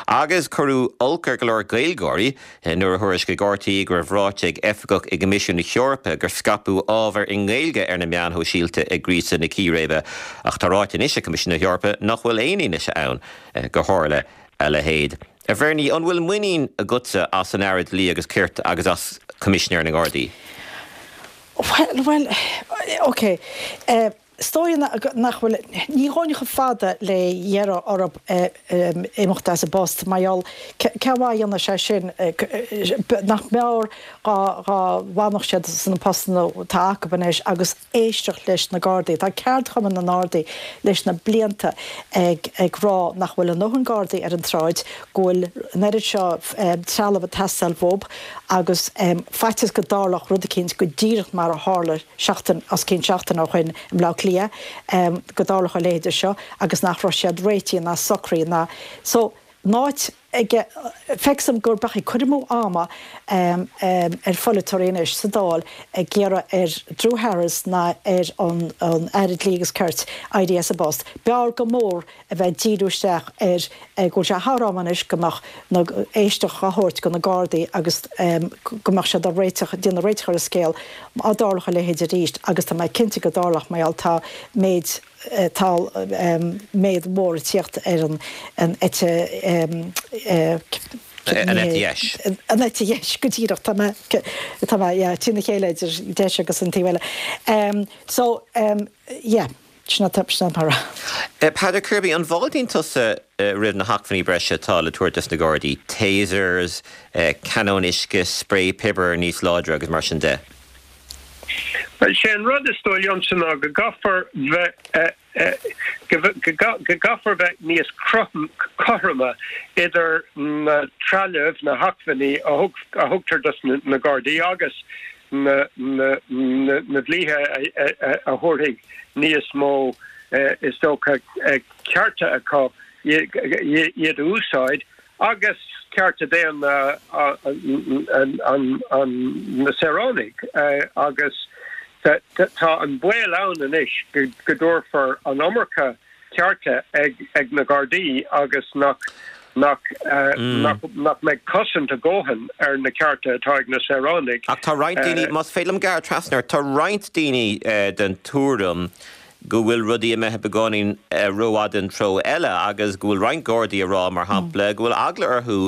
[SPEAKER 3] Agus cuireadh olc ar go leor Gaeilgeoirí nuair a thuairiscigh RTÉ go raibh ráite ag oifigeach i gCoimisiún na hEorpa gur scaipeadh ábhar i nGaeilge ar na meáin shóisialta ag gríosadh na círéibe. Ach tá ráite anois ag Coimisiún na hEorpa nach bhfuil aon fhianaise ann gur tharla a leithéid. A Bhernie, an bhfuil muinín agatsa as an Aire Dlí agus Cirt agus as Coimisinéir na nGardaí?
[SPEAKER 11] Bhuel, bhuel, ok. Is dóigh nach bhfuil, ní ghabhfainn chomh fada le iarraidh orthu imeacht as a bpost mar gheall cén mhaith a dhéanfadh sé sin, nach mb'fhearr dhá bhfanfadh siad sna postanna atá acu anois agus éisteacht leis na Gardaí. Tá ceardchumann na nGardaí leis na blianta ag ag rá nach bhfuil a ndóthain Gardaí ar an tsráid, go bhfuil an oiread seo trealamh ag teastáil uathu agus faitíos go dtarlódh rud eicínt go díreach mar a tharla seachtain, os cionn seachtaine ó shoin i mBleá Cliath, go dtarlódh a leithéide seo agus nach raibh siad réitithe ná socraithe ná so in áit ag feictear dom gur beadh ag cur amú ama ar pholaiteoirí anois sa Dáil ag iarraidh ar Drew Harris ná ar an Aire Dlí agus Cirt éirí as a bpost. B'fhearr go mór a bheith ag díriú isteach ar go bhfuil sé thar am anois go mbeadh na éisteacht á thabhairt go na Gardaí agus go mbeadh siad ag réiteach, déanamh réiteach ar an scéal má dtarlódh a leithéid arís agus tá mé cinnte go dtarlódh mar gheall tá méid tá méid mhór ag tíocht ar an an eite
[SPEAKER 3] An eite dheis.
[SPEAKER 11] An eite dheis go díreach tá mé tá mé yeah trína chéile idir deis agus an taobh eile. So yeah. Sin atá mar a.
[SPEAKER 3] Peadar Kirby, an bhfáiltíonn tusa roimh na hacmhainní breise atá le tabhairt dos na Gardaí, tasers, canóin uisce, sprae piobair níos láidre agus mar sin de?
[SPEAKER 10] Bhuel, sé an rud is dóigh liomsa ná go gcaithfear bheith go gcaithfear bheith níos cothroime idir na trealamh, na hacmhainní a thugtar dos na Gardaí agus na dlíthe a thabharfaidh níos mó, is dócha, cearta acu iad a úsáid agus cearta daonna na saoránaigh agus tá an baol ann anois go dtabharfar an iomarca cearta ag na Gardaí agus nach nach nach mbeidh cosaint a dhóthain ar na cearta atá ag na saoránaigh.
[SPEAKER 3] Ach tá roinnt daoine, más féidir liom gearradh trasna ort, tá roinnt daoine den tuairim go bhfuil rudaí imithe beagáinín rófhada an treo eile agus go bhfuil roinnt Gardaí ag rá, mar shampla, go bhfuil eagla orthu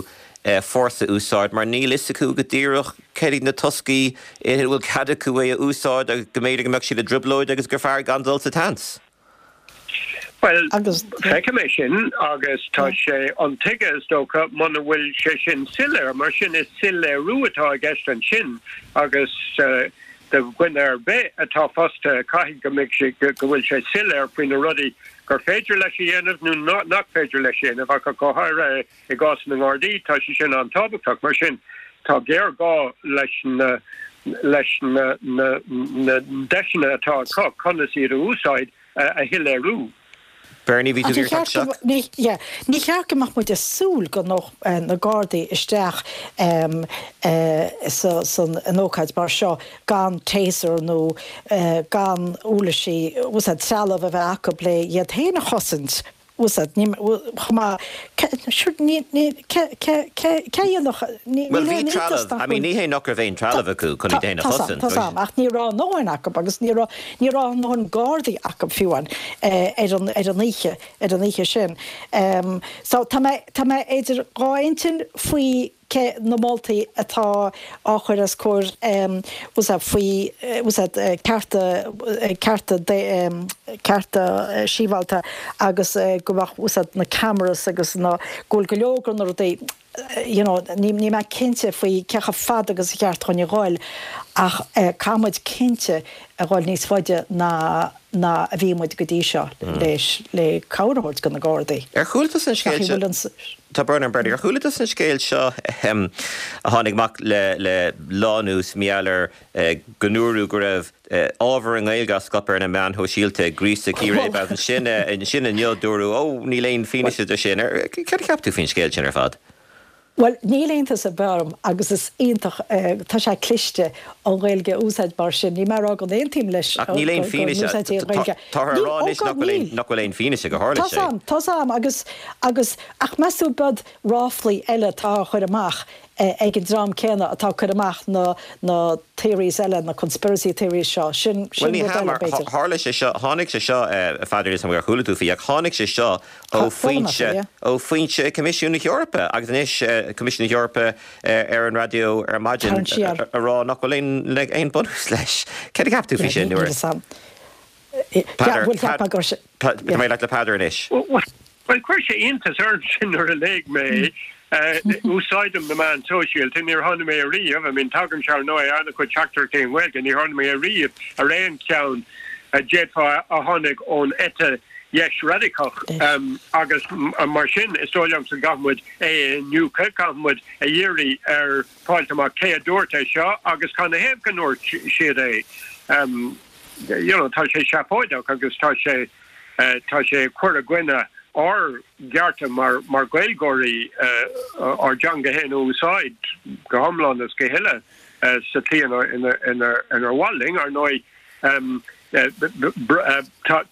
[SPEAKER 3] fórsa a úsáid mar níl fhios acu go díreach céard iad na toscaí ina bhfuil cead acu é a úsáid agus go mb'fhéidir go mbeadh siad i dtrioblóid agus gur fearr gan dul sa tseans.
[SPEAKER 10] Bhuel, feicim é sin agus tá sé intuigthe, is dócha, muna bhfuil sé sin soiléir. Mar sin, is soiléiriú atá i gceist ansin agus do dhuine ar bith atá fostaithe, caithfidh go mbeidh sé, go bhfuil sé soiléir faoi na rudaí gur féidir leis a dhéanamh nó nach féidir leis a dhéanamh ach go háirithe i gcás na nGardaí, tá sé sin an-tábhachtach. Mar sin, tá géarghá leis na leis na na deiseanna atá acu conas iad a úsáid a shoiléiriú.
[SPEAKER 3] Bernie, bhí tú ag iarraidh teacht
[SPEAKER 11] isteach? Ní cheart go mbeadh muid ag súil go ngabhfadh na Gardaí isteach san in ócáid mar seo gan taser nó gan uirlisí, trealamh a bheith acu le iad féin a chosaint. Úsáid, ní, chomh maith, sure, ní, ní, cé, cé, cé, cé a dhéanfadh, ní,
[SPEAKER 3] Bhuel, níl bhí aon iontas trealamh, nach I mean, ní hé nach raibh aon trealamh acu chun iad féin a chosaint,
[SPEAKER 11] Tá 's a'm, ach ní raibh a ndóthain acu agus ní raibh, ní raibh a ndóthain Gardaí acu fiú amháin ar an, ar an oíche, ar an oíche sin. So, tá mé, tá mé idir dhá intinn faoi cé na moltaí atá á chur os comhair faoi cearta cearta cearta sibhialta agus go mbeadh na cameras agus na go bhfuil go leor de na rudaí you know níl mé cinnte faoi cé chomh fada agus a cheart dhúinn a dhul ach caithfidh muid cinnte a dhul níos faide ná ná a bhí muid go dtí seo leis le cabhair a thabhairt do na Gardaí.
[SPEAKER 3] Ar chuala tusa an scéal seo? Tá brón orm Bernie, ar chuala tusa an scéal seo a tháinig amach le le lá anuas mar gheall ar go ndúradh go raibh ábhar i nGaeilge á scaipeadh ar na meáin shóisialta ag gríosadh círéib agus ansin ansin inniu dúradh ó níl aon fianaise de sin. Céard a cheap tú faoin scéal sin ar fad?
[SPEAKER 11] Bhuel, níl iontas ar bith orm agus is iontach, tá sé cliste an Ghaeilge a úsáid mar sin. Níl mé ag rá go n-aontaím leis
[SPEAKER 3] Ach níl aon
[SPEAKER 11] go
[SPEAKER 3] fianaise,
[SPEAKER 11] n-úsáidtí an Ghaeilge.
[SPEAKER 3] táthar ag rá anois nach bhfuil aon, nach bhfuil aon fianaise gur tharla
[SPEAKER 11] Tá
[SPEAKER 3] sé.
[SPEAKER 11] 's a'm, tá 's a'm agus, agus, ach meas tú ab iad ráflaí eile atá á chur amach ag an dream céanna atá ag cur amach na, na theories eile, na conspiracy theories seo, sin,
[SPEAKER 3] Bhuel
[SPEAKER 11] sin
[SPEAKER 3] ní
[SPEAKER 11] rud
[SPEAKER 3] hea
[SPEAKER 11] eile
[SPEAKER 3] mar
[SPEAKER 11] b'fhéidir.
[SPEAKER 3] tharla sé seo, tháinig sé seo, a Pheadair, níl 's a'm ar chuala tú faoi ach tháinig sé seo ó foinse, ó foinse Coimisiún na hEorpa agus anois Coimisiún na hEorpa ar an raidió ar maidin a rá nach bhfuil aon bunús leis. Céard a cheap tú faoi sin nuair a. Peadar, Tá mé leat le Peadar anois.
[SPEAKER 10] Bhuel, chuir sé iontas ormsa nuair a léigh mé é. Úsáidim na meáin sóisialta, níor tháinig mé ariamh, I mean tagaimse ar ndóigh ar an-chuid teachtaireachtaí i nGaeilge, ní tháinig mé ariamh ar aon cheann a d'fhéadfá a tháinig ón eite dheis radacach agus mar sin is dóigh liomsa go gcaithfidh muid é a iniúchadh, caithfidh muid a iarraidh ar fáilt amach cé a dúirt é seo agus cad 'na thaobh go ndúirt siad é. You know, tá sé seafóideach agus tá sé, tá sé ag cur i gcoinne ár gcearta mar, mar Ghaeilgeoirí ár dteanga féin a úsáid go hiomlán is go huile sa tslí inar, inar, inar mhaith linn. Ar ndóigh, Tá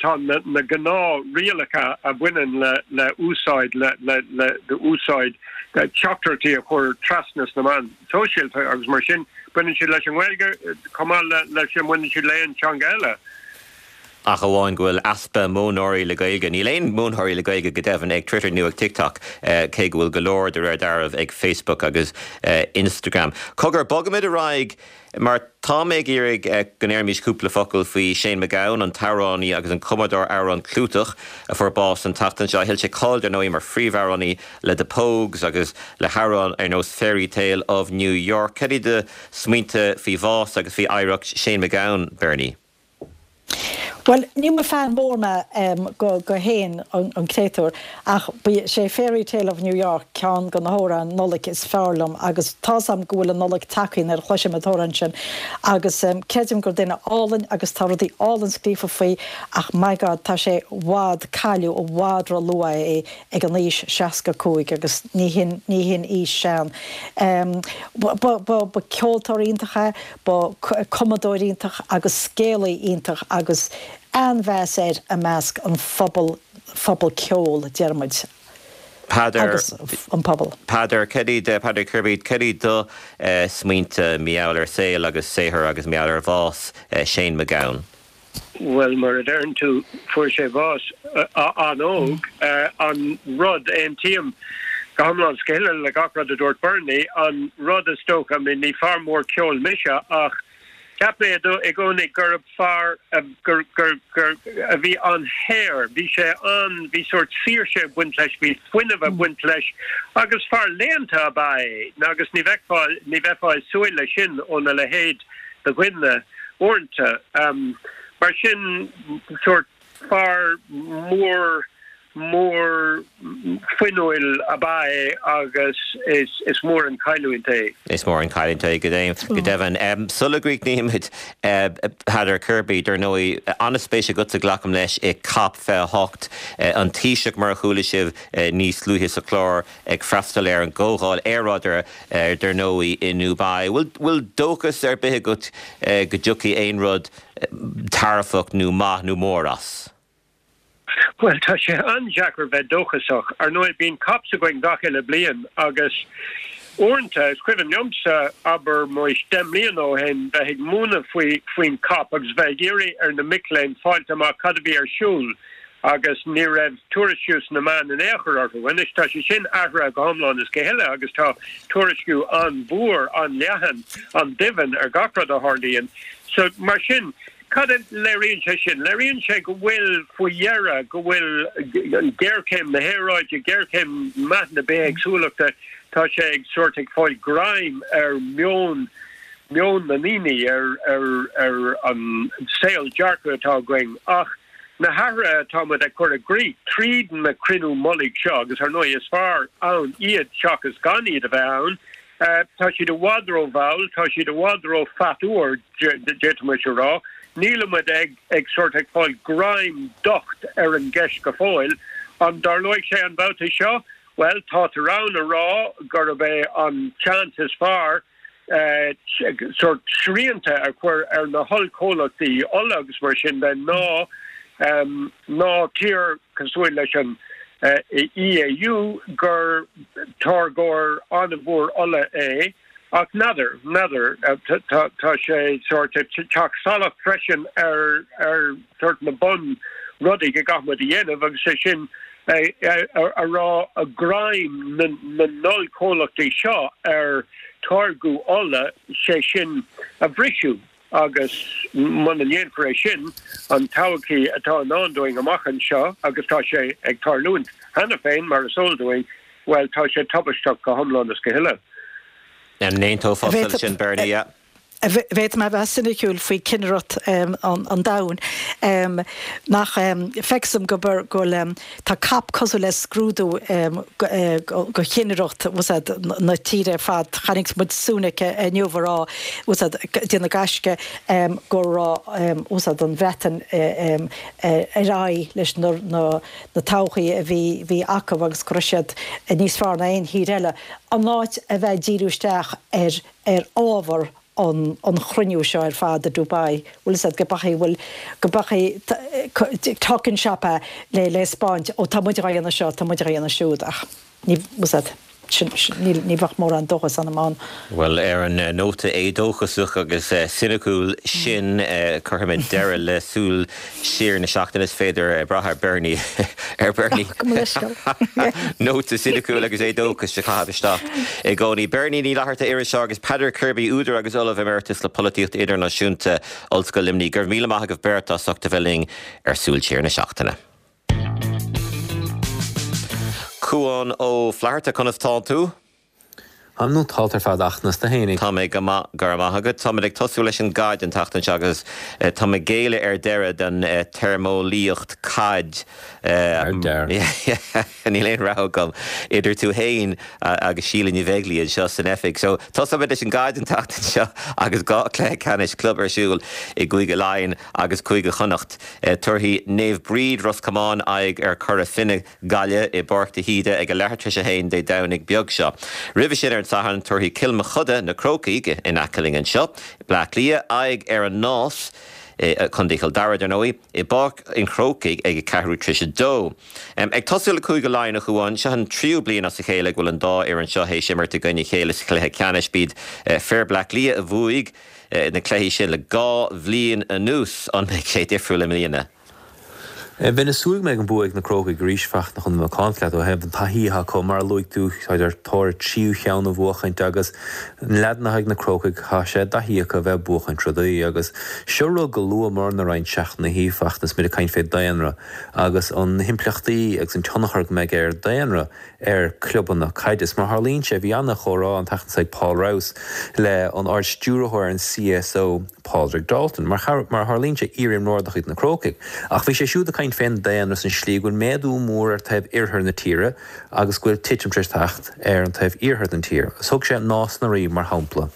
[SPEAKER 10] tá na gnáth-rialacha a bhaineann le le úsáid le le le úsáid teachtaireachtaí a chur trasna sna meáin sóisialta agus mar sin baineann siad leis an nGaeilge chomh maith le leis a mbaineann siad le aon teanga eile.
[SPEAKER 3] Ach amháin go bhfuil easpa modhnóirí le Gaeilge, níl aon mhodhnóirí le Gaeilge go deimhin ag Twitter nó ag TikTok, cé go bhfuil go leor de réir dealraimh ag Facebook agus Instagram. Cogar, bogfaimid ar aghaidh Mar tá mé ag iarraidh go ndéarfaimis cúpla focal faoi Shane MacGowan, an t-amhránaí agus an cumadóir amhrán clúiteach a fuair bás an tseachtain seo. Thuill sé cáil, dar ndóigh, mar phríomhamhránaí le The Pogues agus le hamhráin ar nós Fairytale of New York. Cad iad do smaointe faoi bhás agus faoi oidhreacht Shane MacGowan, Bernie?
[SPEAKER 11] Bhuel, ní mba fan mór mé go go Shane an créatúr ach ba sé Fairy Tale of New York ceann de na hamhráin Nollag is fearr liom agus tá's a'm go bhfuil an Nollaig tagtha nuair a chloisim an t-amhrán sin agus creidim gur duine álainn agus tá rudaí álainn scríofa faoi ach my God tá sé i bhfad, cailleadh i bhfad ró-luath é ag an aois 65 agus ní hin ní hin aois sean. Ba ba ba ceoltóir iontach é, Ba cumadóir iontach agus scéalaí iontach agus an-mheas air i measc an phobal, phobal ceoil, deir muid,
[SPEAKER 3] Peadar,
[SPEAKER 11] agus an pobal.
[SPEAKER 3] Peadar, cad iad, Peadar Kirby, cad iad do smaointe mar gheall ar saol agus saothar agus mar gheall ar bhás Shane MacGowan?
[SPEAKER 10] Bhuel, mar a deireann tú, fuair sé bás an-óg. An rud, aontaím go hiomlán is go huile le gach rud a dúirt Bernie, an rud is dócha, I mean, ní fear mór ceoil mise ach cheap mé i gcónaí gurb fear gur, gur, gur, a bhí an-shaor, bhí sé an, bhí sórt saoirse ag baint leis, bhí fuinneamh ag baint leis agus fear léannta ab ea é agus ní bheifeá, ní bheifeá ag súil leis sin óna leithéid de dhuine. uaireanta. Mar sin, sórt fear mór, mór fuinniúil ab ea é agus is mór an chailliúint é.
[SPEAKER 3] Is mór an chailliúint é, go deimhin. Sula gcríochnaímid, Peadar Kirby, dar ndóigh, an-spéis agatsa, glacaim leis, i Cop 28, an Taoiseach, mar a chuala sibh níos luaithe sa chlár, ag freastal ar an gcomhdháil aeráide, dar ndóigh, i nDubai. Bhfuil dóchas ar bith agat go dtiocfaidh aon rud dearfach nó maith nó mór as?
[SPEAKER 10] Bhuel, tá sé an-deacair bheith dóchasach. Ar ndóigh, bíonn COPs againn gach uile bliain agus uaireanta, is cuimhin liomsa, abair muis, 10 mbliana ó shin, bheith ag múineadh faoi faoin COP agus bheith ag iarraidh ar na mic léinn fáilt amach cad a bhí ar siúl agus ní raibh tuairisciú sna meáin in aon chor orthu. Anois tá sé sin athraithe go hiomlán is go huile agus tá tuairisciú an-mhór, an-leathan, an-doimhin ar gach rud a tharlaíonn. So, mar sin, cad a léiríonn sé sin? Léiríonn sé go bhfuil, faoi dheireadh, go bhfuil géarchéim na haeráide, géarchéim meath na bithéagsúlachta, tá sé ag sórt ag fáil greim ar meon, meon na ndaoine, ar, ar, ar an saol dearcadh atá againn. Ach. Na hathruithe atá muid ag cur i gcrích tríd na cruinniú mullaigh seo, agus ar ndóigh is fearr ann iad seachas gan iad a bheith ann, tá siad i bhfad ró-mhall, tá siad i bhfad ró-phatuar, d'fhéadfaimis a rá. Nílimid ag ag sórt ag fáil greim docht ar an gceist go fóill. An dtarlóidh sé an babhta seo? Bhuel, tátar ann a rá gurb é an seans is fearr, sórt srianta a chur ar na hollchomhlachtaí ola agus mar sin de ná ná tír cosúil leis an EAU gur táirgeoir an-mhór ola é ach n'fheadar, n'fheadar, tá sé sórt ag teacht salach freisin ar ar sórt na bun rudaí go gcaithfidh muid a dhéanamh agus é sin a rá greim na n-ollchomhlachtaí seo ar táirgeadh ola, sé sin a bhriseadh. Agus muna ndéanfar é sin, an todhchaí atá i ndán dúinn amach anseo, agus tá sé ag tarlúint cheana féin, mar is eol dúinn, bhuel, tá sé tubaisteach go hiomlán is go huile.
[SPEAKER 3] An n-aontófá leis sin, Bernie? Yeah.
[SPEAKER 11] Bhféadfadh mé a bheith soiniciúil faoi cinnireacht an domhain, nach feictear dom go bhfuil, tá COP cosúil le scrúdú go chinnireacht na tíre ar fad. Chonaic muid Sunak inniu ag rá, ag déanamh gaisce go raibh an Bhreatain ar aghaidh leis na todhchaí a bhí acu agus go raibh siad níos fearr ná aon thír eile. In áit a bheith ag díriú isteach ar ar ábhar an an chruinniú seo ar fad i Dubai, bhfuil fhios a'd, go beadh, bhfuil, go beadh talking shop é le le 'spáint, ó tá muid dhá dhéanamh seo, tá muid dhá dhéanamh siúd ach ní, bhfuil fhios a'd, sin, sin, níl, ní bheadh mórán dóchas ionam ann.
[SPEAKER 3] Bhuel, ar an nóta éadóchasach agus soiniciúil sin, cuirfimid deireadh le Súil Siar na seachtaine. Is féidir brath ar Bernie, ar Bernie.
[SPEAKER 11] Go mba leithscéal.
[SPEAKER 3] Nóta soiniciúil agus éadóchas a chaitheamh isteach i gcónaí. Bernie Ní Fhlatharta, iriseoir, agus Peadar Kirby, údar agus Ollamh Emeritus le Polaitíocht Idirnáisiúnta, Ollscoil Luimnigh. Go raibh míle maith agaibh beirt as ucht a bheith linn ar Súil Siar na seachtaine. Cuán Ó Flatharta, conas tánn tú?
[SPEAKER 12] Táim nótálta ar fad ach conas tú fhéinig.
[SPEAKER 3] Tá mé go maith, go raibh maith agat. Táimid ag tosú leis an gcaid an tseachtain seo agus tá mé ag géilleadh ar deireadh don téarmeolaíocht caid.
[SPEAKER 12] Ar deireadh.
[SPEAKER 3] Níl aon rogha agam idir tú fhéin agus Síle Ní Bheaglaoí anseo san oifig. So tosóimid leis an gcaid an tseachtain seo agus 2 chluiche ceannais club ar siúl i gCúige Laighean agus Cúige Chonnacht. Tabharfaidh Naomh Bríd Ros Comáin aghaidh ar Chora Finne. Gaillimh i bPáirc de hÍde ag a leathuair tar éis a haon Dé Domhnaigh beag seo. Roimhe sin ar an Satharn tabharfaidh Cill Mochuda, Na Crócaigh, in aice linn anseo, Bleá Cliath, aghaidh ar an Nás, i Contae Chill Dara dar ndóigh, i bPáirc an Chrócaigh ag a ceathrú tar éis a dó. Ag tosú le Cúige Laighean a Chuáin, seo an tríú bliain as a chéile go bhfuil an dá fhoireann seo théis imirt i gcoinne a chéile sa chluiche ceannais. B'iad fir Bleá Cliath a bhuaigh na cluichí sin le 2 bhliain anuas. An mbeidh sé difriúil i mbliana?
[SPEAKER 12] Bheinn ag súil go mbeidh an bua ag na Crócaigh arís, Fachtna, chun a bheith macánta leat ó thaobh an taithí atá acu. Mar a luaigh tú, táid ar thóir a tríú cheann a bhuachaint agus na leaideanna atá ag na Crócaigh, tá sé i dtaithí acu a bheith ag buachaint rudaí. Agus seo rud go luamar-na roinnt seachtainí, Fachtna, is muid ag caint fé daonra agus an na himpleachtaí agus an tionchar go mbeidh ar daonra ar clubanna caide. Is mar a tharlaíonn sé, bhí ana-chomhrá an tseachtain seo ag Paul Rouse le an Ard-Stiúrthóir ar an CSO, Pádraig Dalton. Mar a tharlaíonn sé, iar-imreoir de chuid na Crócaigh. Ach bhí sé siúd ag caint fén daonra is an slí go bhfuil méadú mór ar taobh oirthear na tíre agus go bhfuil titim tar éis teacht ar an taobh iarthar den tír. Is thug sé Nás na Rí mar shampla.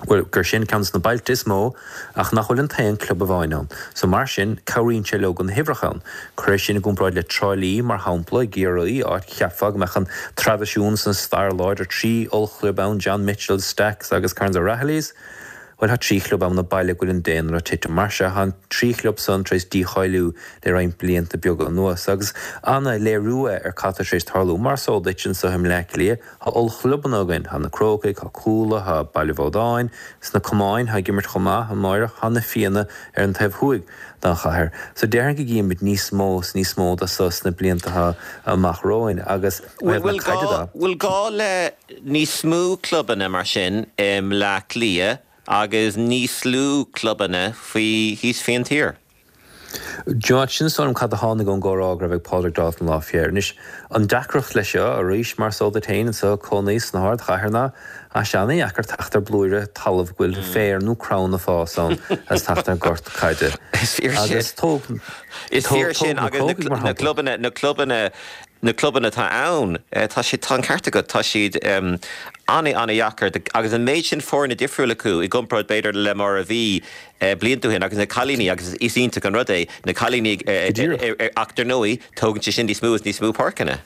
[SPEAKER 12] Bhuel, gur sin ceann des na bailte is mó ach nach bhfuil an t-aon club amháin ann. So mar sin, cabhraíonn sé leo go na huimhreacha ann. Cuir é sin i gcomparáid le Trá Lí, mar shampla, i gCiarraí, áit cheapfá go mbeadh an traidisiún is an stair láidir, 3 ollchlub ann, John Mitchels, Stacks agus Kerins O'Rahilly's. Bhuel, tá 3 chlub ann i baile go bhfuil an daonra ag titim. Mar sea, tá an 3 chlub san tar éis dícháiliú le roinnt blianta beaga anuas. Agus ana-léiriú é ar cad tá tar éis tarlú. Mar is eol duit, anseo i mBleá Cliath, Tá ollchlubanna againn, tá na Crócaigh, tá Cuala, tá Baile Bhodáin, sna camáin, tá ag imirt chomh maith, amáireach, tá na Fianna ar an taobh thuaidh den chathair. So déarfainn go gcífimid níos mó is níos mó de so sna blianta atá amach romhainn agus ó thaobh na caide de.
[SPEAKER 3] Bhfuil gá le níos mó clubanna mar sin i mBleá Cliath agus níos lú clubanna faoi thíos faoin tír?
[SPEAKER 12] D'you know, sin is dóigh liom cad a tháinig ón gcomhrá go raibh ag Pádraig Dalton lá fé air. Anois, an deacracht leis seo, arís, mar is eol duit féin, anseo cónaí sna hardchathair ná, tá sé ana-dheacair teacht ar blúire talaimh go bhfuil féar nó crann ag fás ann agus teacht ar gort caide.
[SPEAKER 3] Is fíor sin.
[SPEAKER 12] Agus tóg,
[SPEAKER 3] Is
[SPEAKER 12] tóg,
[SPEAKER 3] fíor
[SPEAKER 12] tóg
[SPEAKER 3] sin
[SPEAKER 12] na
[SPEAKER 3] agus na
[SPEAKER 12] Crócaigh, mar
[SPEAKER 3] na
[SPEAKER 12] shampla.
[SPEAKER 3] clubanna, na clubanna, na clubanna atá ann, tá siad, tá an ceart agat, tá siad ana-ana-dheacair agus an méid sin foirne difriúil acu i gcomparáid b'fhéidir le mar a bhí blianta ó shin agus na cailíní agus is iontach an rud é na cailíní ach dar ndóigh tógann sé sin níos mó is níos mó páirceanna.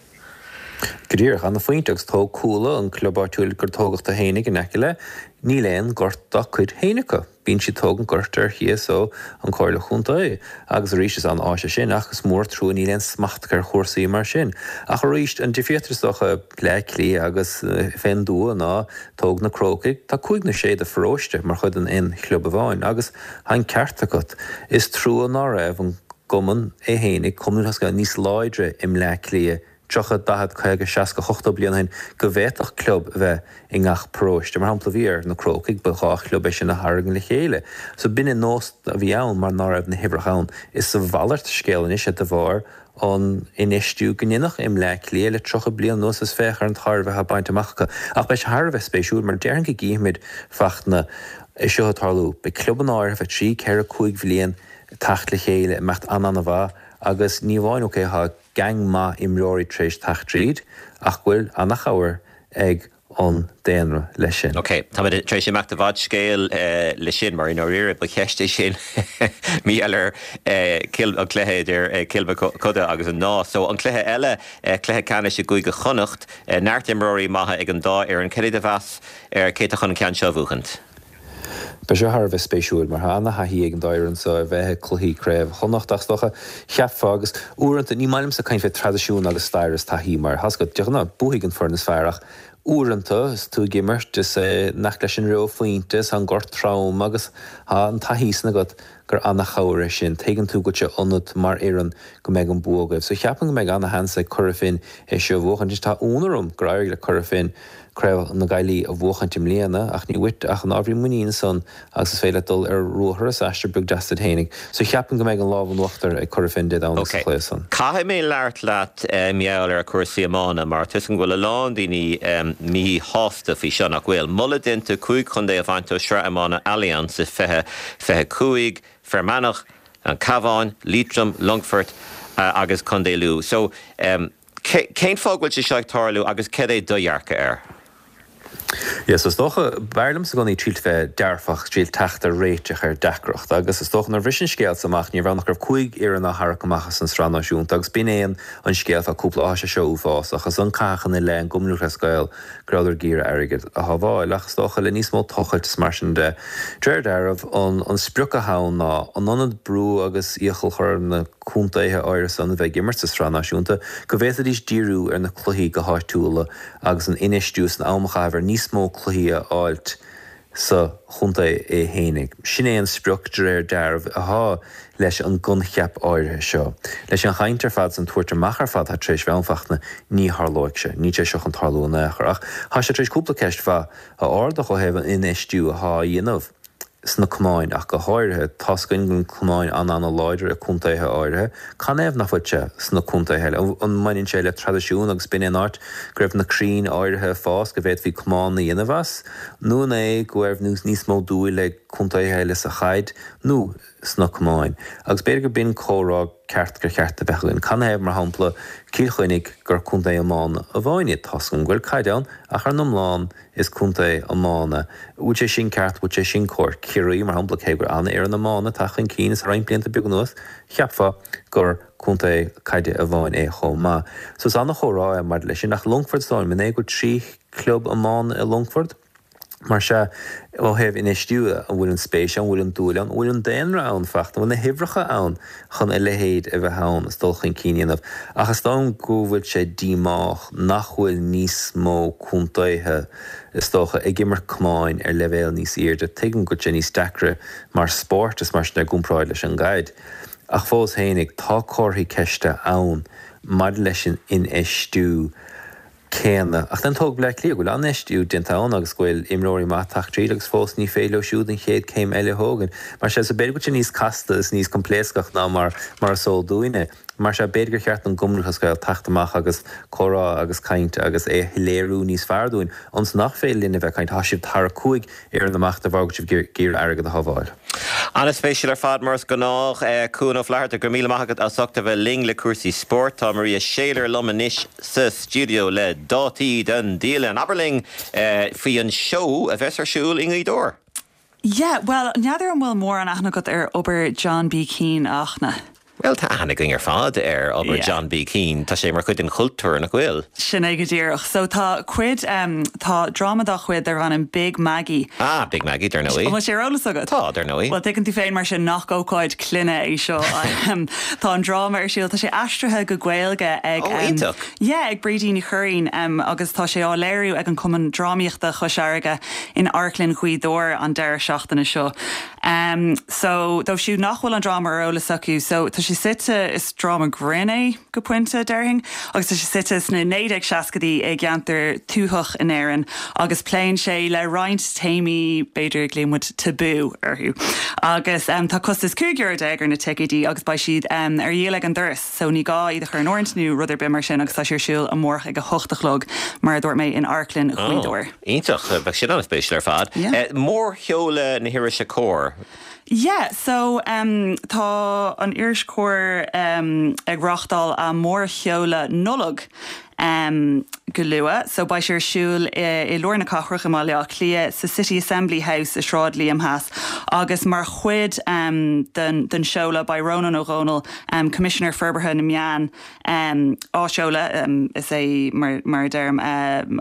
[SPEAKER 12] Go díreach, ana-phointe agus tóg Cuala, an club áitiúil gur tógadh tú fhéinig in aice le, níl aon gort dá cuid féin acu. Bíonn siad tógaint goirt ar chíos ó an Comhairle Chontae agus arís is an-áis é sin ach is mór trua níl aon smacht acu ar chúrsaí mar sin. Ach arís, an difríocht is dócha Bleá Cliath agus fén dtuath ná tóg na Crócaigh, tá cúig nó sé de pharóiste mar chuid den aon chlub amháin agus tá an ceart agat. Is trua ná raibh an gcumann é fhéinig, Cumann Lúthchleas Gael, níos láidre i mBleá Cliath. 30, 40, 50, 60, 80 bliain ó shin go bhféadfadh club a bheith i ngach paróiste. Mar shampla, bhí ar na Crócaigh, ba ghá club é sin a tharraing le chéile. So b'in an nós a bhí ann mar ná raibh na huimhreacha ann. Is a mhalairt scéal anois é de bharr an infheistiú go ndeineadh i mBleá Cliath le 30 bliain anuas is féach ar an tairbhe atá bainte amach acu. Ach beidh sé thar a bheith spéisiúil mar déarfainn go gcífimid Fachtna é seo ag tarlú. Beidh clubanna áirithe feadh trí, ceithre, cúig bhliain ag teacht le chéile, imeacht an-an-mhaith agus ní amháin ok tá gang maith imreoirí tar éis teacht tríd ach go bhfuil an-chabhair ag an daonra leis sin.
[SPEAKER 3] Ok, táimid tar éis imeacht i bhfad scéil le sin, mar i ndáiríre ba cheist é sin mar gheall ar Cill, an cluiche idir Cill Mochuda agus an Nás. So an cluiche eile, cluiche ceannais i gCúige Chonnacht, neart imreoirí maithe ag an dá fhoireann. Cad é do mheas ar cé atá chun an ceann seo a bhuachaint?
[SPEAKER 12] Beidh seo thar a bheith spéisiúil mar tá ana-thaithí ag an dá fhoireann seo ar bheith ag cluichí Craobh Chonnacht ach is dócha, cheapfá, agus uaireanta, ní maith liomsa caint fé traidisiún agus stair is taithí mar tá's agat, de ghnáth, buafaidh an foireann is fearr ach uaireanta is tú ag imirt is nach leis an reo phointe is tá an gort trom agus tá an taithí san agat gur ana-chabhair é sin. Tuigeann tú go bhfuil sé ionat mar fhoireann go mbeidh an bua agaibh. So cheapfainn go mbeidh ana-sheans ag Cora Finne é seo a bhuachaint. Anois tá ionadh orm gur éirigh le Cora Finne Craobh na Gaillimhe a bhuachaint i mbliana, ach ní uait ach an ábhairín muiníne san agus is féidir leat dul ar ruathar is aistear beag deas duit fhéinig. So cheapfainn go mbeidh an lámh in uachtar ag Cora Finne Dé Domhnaigh sa
[SPEAKER 3] Ok.
[SPEAKER 12] chluiche san.
[SPEAKER 3] Caithfidh mé labhairt leat mar gheall ar chúrsaí iomána mar tá 'fhios agam go bhfuil a lán daoine míshásta faoi seo, nach bhfuil? Moladh déanta 5 chontae a bhaint ó Shraith Iomána Allianz i 2025, Fear Manach, An Cabhán, Liatroim, Longfort agus Contae Lú. So, Cén fáth go bhfuil sé seo ag tarlú agus cad é do dhearcadh air?
[SPEAKER 12] Yeah, so is dócha, b'fhearr liomsa i gcónaí triail bheith dearfach, triail teacht ar réiteach ar deacracht agus is dócha nuair a bhris an scéal so amach ní raibh ann ach go raibh 5 fhoireann á tharrac amach as an sraith náisiúnta agus b'in é an an scéal fá cúpla, á tá sé seo uafásach, is an caitheadh ina leith an gCumann Lúthchleas Gael go rabhadar ag iarraidh airgead a shábháil ach is dócha le níos mó tochailt is mar sin de, de réir dealraimh an an sprioc atá ann ná in ionad brú agus iachall a chur ar na contaetha áirithe san a bheith ag imirt sa Sraith Náisiúnta, go bhféadfaidís díriú ar na cluichí go háitiúla agus an infheistiú is an am a chaitheamh ar níos mó cluichí a fháilt sa chontae é fhéinig. Sin é an sprioc, de réir dealraimh, athá leis an gcoincheap áirithe seo. Leis an chaint ar fad 's an tabhairt amach ar fad atá tar éis bheith ann, Fachtna, ní tharlóidh sé. Níl sé seo chun tarlú in aon chor. Ach thá sé tar éis cúpla ceist mhaith a ardach ó thaobh an infheistiú athá á dhéanamh. sna cumainn ach go háirithe. Tá's againn go bhfuil cumainn an-an-láidir i contaetha áirithe. Canathaobh nach bhfuil sé sna contaetha eile? An mbaineann sé le traidisiún agus b'in é an áit go raibh na crainn áirithe ag fás go bhféadfaí cumann a dhéanamh as? Nó an é go raibh níos mó dúil ag contaetha eile sa chaid nó sna cumainn? Agus b'fhéidir gur b'in comhrá ceart gur cheart a bheith againn. Canathaobh, mar shampla, Cill Chainnigh gur contae iomána amháin iad? Tá's agam go bhfuil caid ann ach ar an iomlán Is contae iomána. Bhfuil sé sin ceart? Bhfuil sé sin cóir? Ciarraí, mar shampla, cé gur an-fhoireann iomána atá chun cinn is roinnt blianta beag anuas, cheapfá gur contae caide amháin é chomh maith. So is an-chomhrá é maidir leis sin. Ach Longfort is dóigh liom, an é go bhfuil 3 chlub iomána i Longfort? Mar sea, ó thaobh infheistiú de, an bhfuil an spéis ann, an bhfuil an dúil ann, an bhfuil an daonra ann, Fachtna, an bhfuil na huimhreacha ann chun a leithéid a bheith ann is dul chun cinn a dhéanamh? Ach is dóigh liom go bhfuil sé díomách nach bhfuil níos mó contaetha, is dócha, ag imirt camáin ar leibhéal níos airde. Tuigim go bhfuil sé níos deacra mar spórt is mar sin i gcomparáid leis an gcaid. Ach fós fhéinig, tá comharthaí ceiste ann maidir leis an infheistiú. céanna. Ach then tóg Bleá Cliath, go bhfuil an-infheistiú déanta ann agus go bhfuil imreoirí maithe ag teacht tríd agus fós ní féidir leo siúd an chéad céim eile a thógaint. Mar sea, so b'fhéidir go bhfuil sé níos casta is níos coimpléascach ná mar mar is eol dúinne. Mar sea, b'fhéidir gur cheart don gCumann Lúthchleas Gael teacht amach agus comhrá agus caint agus é a shoiléiriú níos fearr dúinn, ionas nach féidir linn a bheith ag caint, tá sibh ag tarrac 5 fhoireann amach de bharr go bhfuil sibh ag iarraidh airgead a shábháil.
[SPEAKER 3] An-spéisiúil ar fad mar is gnách. Cuan Ó Flatharta, go raibh míle maith agat as ucht a bheith linn le cúrsaí spóirt. Tá Maria Shayler liom anois sa stiúideo le dátaí don dialann. Abair linn faoi an seó a bheas ar siúl i nGaoth Dobhair.
[SPEAKER 13] Yeah, bhuel, n'fheadar an bhfuil mórán aithne agat ar obair John B. Keane, a Fhachtna?
[SPEAKER 3] Bhuel, tá aithne againn ar fad ar obair John B. Keane. Tá sé mar chuid den chultúr, nach bhfuil?
[SPEAKER 13] Sin é go díreach. So tá cuid, tá dráma dá chuid darb ainm Big Maggie.
[SPEAKER 3] Ah, Big Maggie, dar ndóigh.
[SPEAKER 13] An bhfuil sé ar eolas agat?
[SPEAKER 3] Tá, dar ndóigh.
[SPEAKER 13] Bhuel, tuigeann tú féin mar sin nach ócáid clainne é seo. Tá an dráma ar siúl, tá sé aistrithe go Gaeilge ag.
[SPEAKER 3] Ó, iontach!
[SPEAKER 13] Yeah, ag Brídín Ní Churraoin agus tá sé á léiriú ag an Cumann Drámaíochta Chois Fharraige in Amharclann Ghaoth Dobhair an deireadh seachtaine seo. So, dóibh siúd nach bhfuil an dráma ar eolas acu, so tá sé. sé suite, is dráma grinn é go pointe, déarfainn, agus tá sé suite sna 1960idí i gceantar tuathach in Éirinn agus pléann sé le roinnt téamaí, b'fhéidir, glaonn muid tabú orthu. Agus tá costas €15 ar na ticéidí agus beidh siad ar dhíol ag an doras so ní gá iad a chur in áirithint nó rud ar bith mar sin agus tá sé ar siúl amárach ag a hocht a chlog, mar a dúirt mé, in Amharclann Ghaoth Dobhair.
[SPEAKER 3] Iontach, bheadh sin an-spéisiúil ar fad. Mórsheoladh na hirise Comhar.
[SPEAKER 13] Yeah, so tá an iris Comhar ag reáchtáil a mórsheoladh Nollag go luath. So beidh sé ar siúl i lár na cathrach i mBaile Átha Cliath sa City Assembly House i Sráid Liam Theas agus mar chuid den seoladh beidh Rónán Ó Domhnaill, Coimisinéir Forbartha na Meán, á seoladh. Is é mar a deirim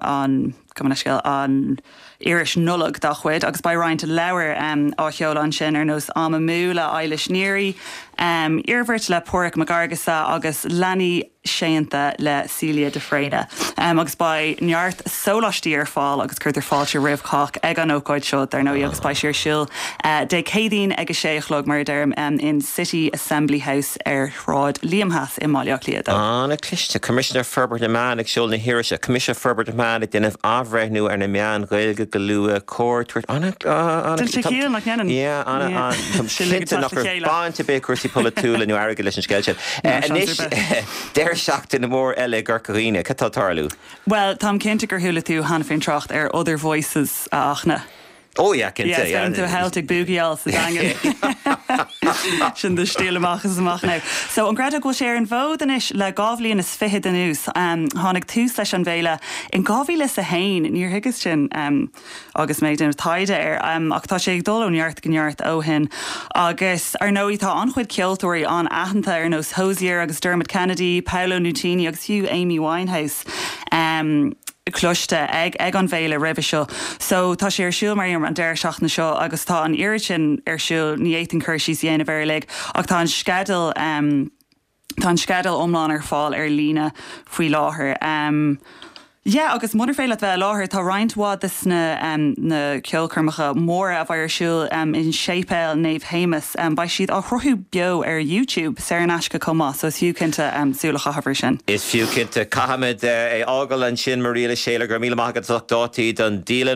[SPEAKER 13] an. gabh mo leithscéal, an iris Nollag dá chuid agus beidh roinnt leabhar á sheoladh ansin ar nós Am Amú le Eilish Neary, Iarmhairt le Páraic Mac Fhearghusa agus Leanaí Séanta le Celia de Fréine. Agus beidh neart sóláistí ar fáil agus cuirtear fáilte roimh chách ag an ócáid seo dar ndóigh agus beidh sé ar siúl Dé Céadaoin ag a sé a chlog mar a deirim in City Assembly House ar Shráid Liam Theas i mBaile Átha Cliath 2.
[SPEAKER 3] An-chliste. Coimisinéir Forbartha na Meán ag seoladh na hirise. Coimisinéir Forbartha na Meán ag déanamh athbhreithniú ar na meáin Ghaeilge go luath. Comhar tabhairt. An-, an-.
[SPEAKER 13] Déanann sé ciall, nach ndéanann?
[SPEAKER 3] Yeah, an-, an-. Táim cinnte nach raibh baint ar bith ag cúrsaí polaitiúla nó airgid leis an scéal sin. Anois, deireadh seachtaine mór eile i gCorca Dhuibhne. Cad tá ag tarlú?
[SPEAKER 13] Bhuel, táim cinnte gur chuala tú cheana féin trácht ar Other Voices, a Fhachtna.
[SPEAKER 3] Oh yeah, cinnte,
[SPEAKER 13] yeah. Yeah, is tú Celtic Boogie-áil sa Daingean. Sin do stíl amach is amach now. So, an gcreidfeá go bhfuil sé ar an bhfód anois le dhá bhliain is fichead anuas. Tháinig tús leis an bhféile in 2001, níor thuigeas sin agus mé ag déanamh taighde air, ach tá sé ag dul ó neart go neart ó shin. Agus, ar ndóigh, tá an-chuid ceoltóirí an-aitheanta ar nós Hozier agus Dermot Kennedy, Paolo Nutini agus fiú Amy Winehouse. Cloiste ag ag an bhféile roimhe seo. So tá sé ar siúl mar an deireadh seachtaine seo agus tá an oiread sin ar siúl, ní fhéadfainn cur síos a dhéanamh air uilig ach tá an sceideal tá an sceideal iomlán ar fáil ar líne faoi láthair. Yeah agus munar féidir leat bheith i láthair tá roinnt mhaith de sna na ceolchoirmeacha móra a bheidh ar siúl in Séipéal Naomh Shéamus beidh siad á shruthú beo ar YouTube saor in aisce chomh maith so is fiú cinnte súil a chaitheamh air sin.
[SPEAKER 3] Is fiú cinnte. Caithfimid é fhágáil ansin Moriel Schayler, go raibh míle maith agat as ucht dátaí don dialann.